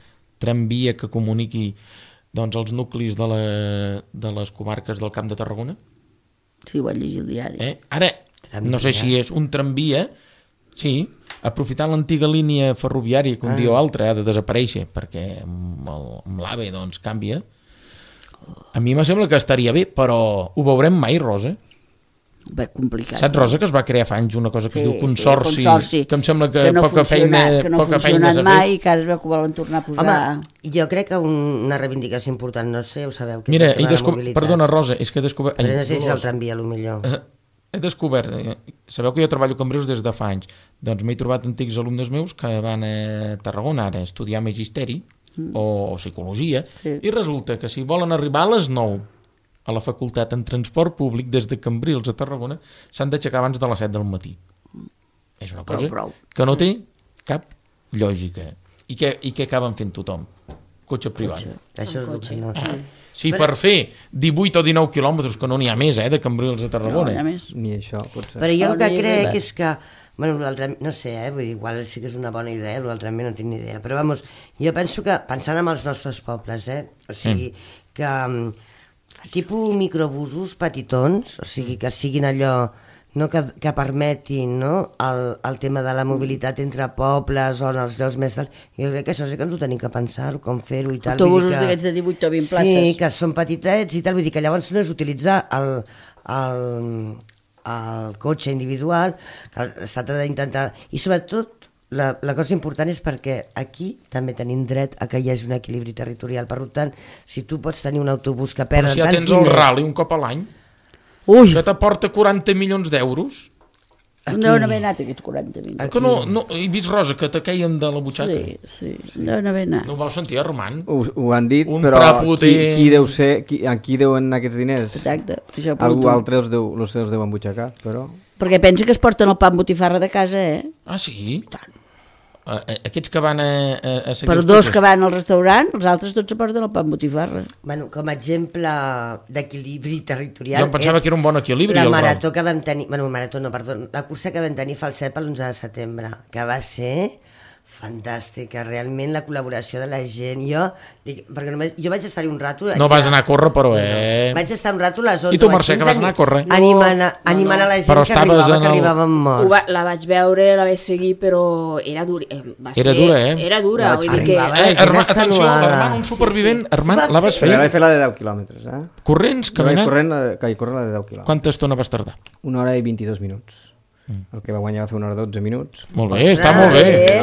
S1: tramvia que comuniqui doncs els nuclis de les comarques del Camp de Tarragona?
S2: Sí, ho vaig llegir al diari.
S1: Ara, no sé si és un tramvia, sí, aprofitant l'antiga línia ferroviària que un dia o altre ha de desaparèixer, perquè amb l'AVE doncs canvia. A mi me sembla que estaria bé, però ho veurem mai, Rosa.
S2: Va complicat.
S1: Saps, Rosa, que es va crear fa anys una cosa que es diu consorci, que em sembla que
S2: no
S1: poca feina
S2: ha funcionat mai, que ara es veu que volen tornar a posar...
S4: Home, jo crec que una reivindicació important, no sé, ho sabeu, que
S1: mira,
S4: és el tema de la mobilitat.
S1: Perdona, Rosa, és que he descobert...
S4: Però no sé si és el tramvia, millor.
S1: He descobert, sabeu que jo treballo a Cambrils des de fa anys, doncs m'he trobat antics alumnes meus que van a Tarragona ara a estudiar magisteri o psicologia, i resulta que si volen arribar a les 9 a la facultat en transport públic des de Cambrils a Tarragona s'han d'aixecar abans de les 7 del matí. És una cosa que no té cap lògica. I què acaben fent tothom? Cotxe privat.
S4: Això és cotxe.
S1: Sí, per fer 18 o 19 quilòmetres, que no n'hi ha més, de Cambrils a Tarragona.
S2: No,
S3: ni això, potser.
S4: Però jo el que crec és que, bueno, no sé, vull dir, igual sí que és una bona idea, l'altre no tinc ni idea, però vamos, jo penso que, pensant en els nostres pobles, o sigui, que tipus microbusos petitons, o sigui, que siguin allò no que permetin, no? el tema de la mobilitat entre pobles o en els llocs més... Jo crec que això sí que ens ho tenim que pensar, com fer-ho i tal.
S2: Autobusos d'aquests de 18 o 20 places.
S4: Sí, que són petitets i tal, vull dir que llavors no és utilitzar el cotxe individual, que s'ha d'intentar... I sobretot, la cosa important és perquè aquí també tenim dret a que hi hagi un equilibri territorial. Per tant, si tu pots tenir un autobús que perd
S1: Però si ja
S4: tants
S1: tens el rally un cop a l'any, que t'aporta 40 milions d'euros...
S2: No n'haver anat aquests 40 milions.
S1: Que no, he vist, Rosa, que te queien de la butxaca.
S2: Sí, no n'haver anat.
S1: No ho vau sentir, Armand?
S3: Ho han dit,
S1: Un
S3: però
S1: prepotent.
S3: qui deu ser, a qui deuen aquests diners?
S2: Exacte.
S3: Algú altre els deu embutxacar, però...
S2: Perquè pensa que es porten el pa amb botifarra de casa,
S1: Ah, sí? Aquests que van a seguir
S2: Per
S1: els
S2: dos
S1: cotxes.
S2: que van al restaurant, els altres tots se porten el pa amb botifarra.
S4: Bueno, com a exemple d'equilibri territorial...
S1: Jo em pensava que era un bon equilibri.
S4: La
S1: el
S4: marató que vam tenir... Bueno, marató no, perdó. La cursa que vam tenir fa el CEP l'11 de setembre, que va ser fantàstica, realment la col·laboració de la gent. Perquè només, jo vaig estar-hi un rato...
S1: No vas anar a córrer, però,
S4: Vaig estar un rato a les 11.
S1: I tu, Mercè, que vas anar a córrer?
S4: Animant a la gent
S1: Però
S4: que arribaven morts.
S5: La vaig veure, la vaig seguir, però era dura.
S1: Era dura, eh?
S5: Era dura, vull dir que...
S1: Atenció, Armand, un supervivent. Armand, la vas fer?
S3: Vaig fer la de 10 quilòmetres,
S1: Corrents, caminant?
S3: Corrent la de 10 quilòmetres.
S1: Quanta estona vas tardar?
S3: 1 hora i 22 minuts. El que va guanyar va fer 1 hora 12 minuts.
S1: Molt bé, està molt bé.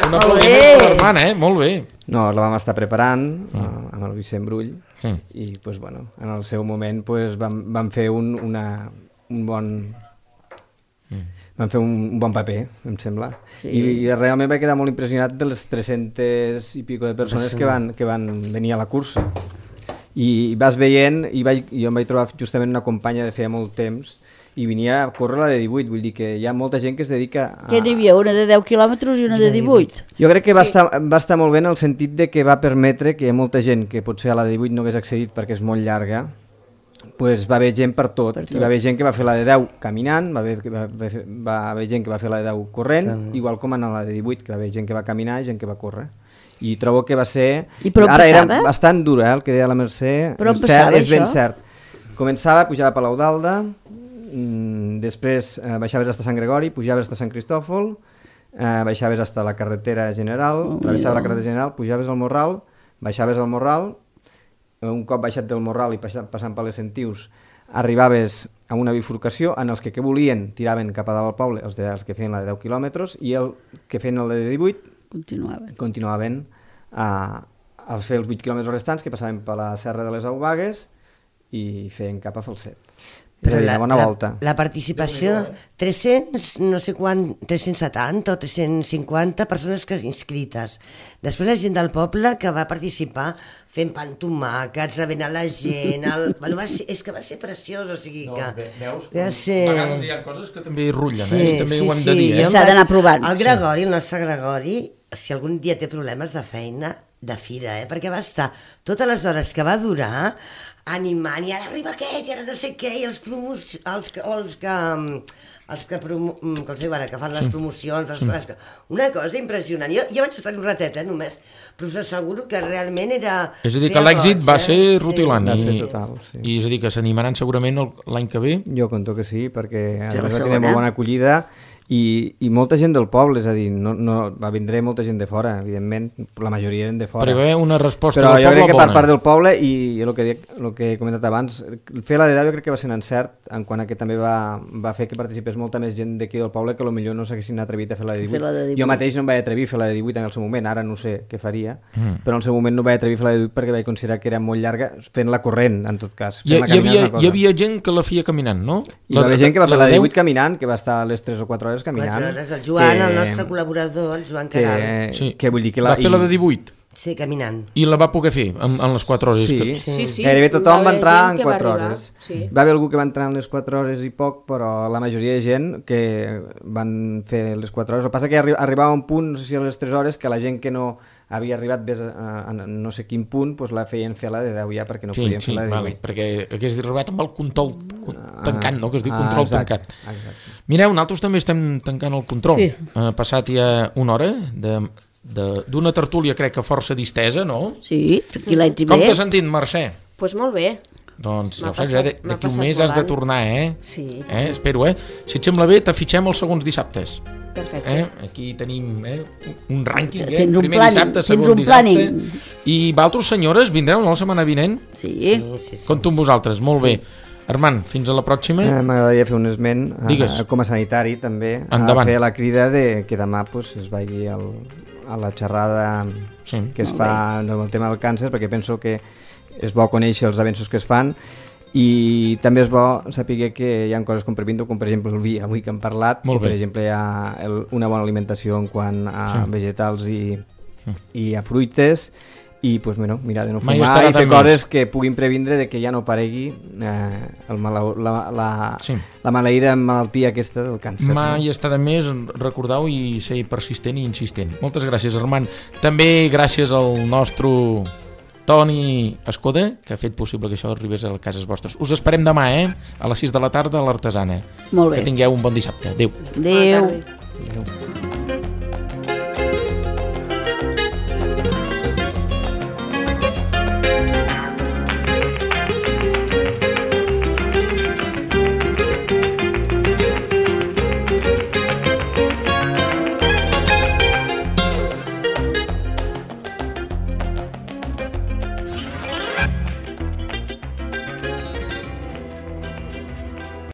S1: Un aplaudiment per l'Armand, molt bé.
S3: No, la vam estar preparant amb el Vicent Brull i, pues, bueno, en el seu moment pues, vam fer un bon paper, em sembla. I realment vaig quedar molt impressionat de les 300 i pico de persones que van venir a la cursa. I vas veient, jo em vaig trobar justament una companya de feia molt temps i venia a córrer la de 18, vull dir que hi ha molta gent que es dedica a...
S2: Que n'hi havia una de 10 quilòmetres i una de 18.
S3: Jo crec que va estar molt bé en el sentit de que va permetre que molta gent que potser a la de 18 no hagués accedit perquè és molt llarga, pues va haver gent per tot. I va haver gent que va fer la de 10 caminant, va haver gent que va fer la de 10 corrent, igual com en la de 18, que va haver gent que va caminar i gent que va córrer. I trobo que va ser... Ara era bastant dura, el que deia la Mercè.
S2: Però on passava
S3: és ben
S2: això?
S3: cert. Començava, pujava a Palau d'Alda, després baixaves hasta Sant Gregori, pujaves hasta Sant Cristòfol, baixaves hasta la carretera general, travessaves la carretera general, pujaves al Morral, baixaves al Morral, un cop baixat del Morral i passant per les Sentius, arribaves a una bifurcació en els que volien tiraven cap a dalt al poble, els que feien la de 10 quilòmetres, i el que feien la de 18 continuaven a fer els 8 quilòmetres restants, que passaven per la Serra de les Aubagues i feien cap a Falset.
S4: Però
S3: volta.
S4: La participació, 370 o 350 persones que inscrites. Després la gent del poble que va participar fent pantomàquets, rebent a la gent... És que va ser preciós, o sigui que...
S1: Veus? A vegades hi ha coses que també rullen, i també ho hem de dir.
S2: S'ha d'anar provant.
S4: El Gregori, el nostre Gregori, si algun dia té problemes de feina, de fira, perquè va estar totes les hores que va durar animant, i ara arriba aquest, i ara no sé què, i els que fan les promocions, una cosa impressionant. Jo vaig estar un ratet, només, però us asseguro que realment era...
S1: És a dir, que l'èxit va ser rutilant,
S3: i
S1: és a dir, que s'animaran segurament l'any que ve.
S3: Jo conto que sí, perquè va tenir molt bona acollida, i molta gent del poble, és a dir, va vindre molta gent de fora, evidentment, la majoria eren de fora.
S1: Però hi va haver una resposta
S3: del poble bona. Però jo crec que per part del poble, i el que he comentat abans, fer la de 10 jo crec que va ser un encert, en quant a que també va fer que participés molta més gent d'aquí del poble que potser no s'haguessin atrevit a fer la de 18. Jo mateix no em vaig atrevir a fer la de 18 en el seu moment, ara no sé què faria, però en el seu moment no vaig atrevir a fer la de 18 perquè vaig considerar que era molt llarga fent-la corrent, en tot cas.
S1: Hi havia gent que la feia caminant, no?
S3: Hi va haver gent que va fer la de 18 caminant, que va estar a les 3 o 4 hores caminant.
S4: 4 hores, el Joan, el nostre col·laborador, el Joan Caral.
S3: Que vull dir que
S1: va fer la de 18?
S4: Sí, caminant.
S1: I la va poder fer en les 4 hores?
S5: Sí.
S3: Gairebé tothom va entrar en 4 hores. Va haver algú que va entrar en les 4 hores i poc, però la majoria de gent que van fer les 4 hores. El que passa que arribava a un punt, no sé si a les 3 hores, que la gent que no havia arribat a no sé quin punt, doncs la feien fer la de 10 ja, perquè no podien fer la de 18.
S1: Perquè hagués arribat amb el control tancant, no? Que es diu control tancat. Mireu, nosaltres també estem tancant el control. Ha passat ja una hora d'una tertúlia, crec que força distesa, no?
S2: Sí, tranquil·lets i bé.
S1: Com t'has sentit, Mercè?
S5: Doncs molt bé.
S1: Doncs ja
S5: M'ha
S1: ho saps,
S5: passat- m'ha
S1: d'aquí un
S5: passat
S1: mes has de
S5: volant.
S1: tornar,
S2: Sí.
S1: Espero, Si et sembla bé, t'afitxem els segons dissabtes.
S5: Perfecte.
S1: Aquí tenim un rànquing,
S2: Tens un
S1: primer
S2: planning,
S1: dissabte,
S2: tens
S1: segon
S2: un
S1: dissabte.
S2: planning.
S1: I vosaltres, senyores, vindreu la setmana vinent?
S2: Sí.
S1: Compto amb vosaltres, molt bé. Armand, fins a la pròxima.
S3: M'agradaria fer un esment
S1: Digues.
S3: com a sanitari també,
S1: Endavant.
S3: a fer la crida de que demà pues, es vagi a la xerrada que es fa amb el tema del càncer, perquè penso que és bo conèixer els avenços que es fan i també és bo saber que hi ha coses com per exemple el vi avui que hem parlat,
S1: Molt bé.
S3: per exemple hi ha una bona alimentació en quant a vegetals i a fruites i pues, mira, de no
S1: Mai
S3: fumar
S1: estarà
S3: i fer
S1: de més.
S3: coses que puguin previndre de que ja no aparegui la maleïda malaltia aquesta del càncer.
S1: Mai està de més, recordeu i ser persistent i insistent. Moltes gràcies, Armand. També gràcies al nostre Toni Escoda, que ha fet possible que això arribés a cases vostres. Us esperem demà, a les 6 de la tarda a l'Artesana.
S2: Molt bé.
S1: Que tingueu un bon dissabte. Adéu.
S2: Adéu.
S5: Bona tarda.
S3: Adéu.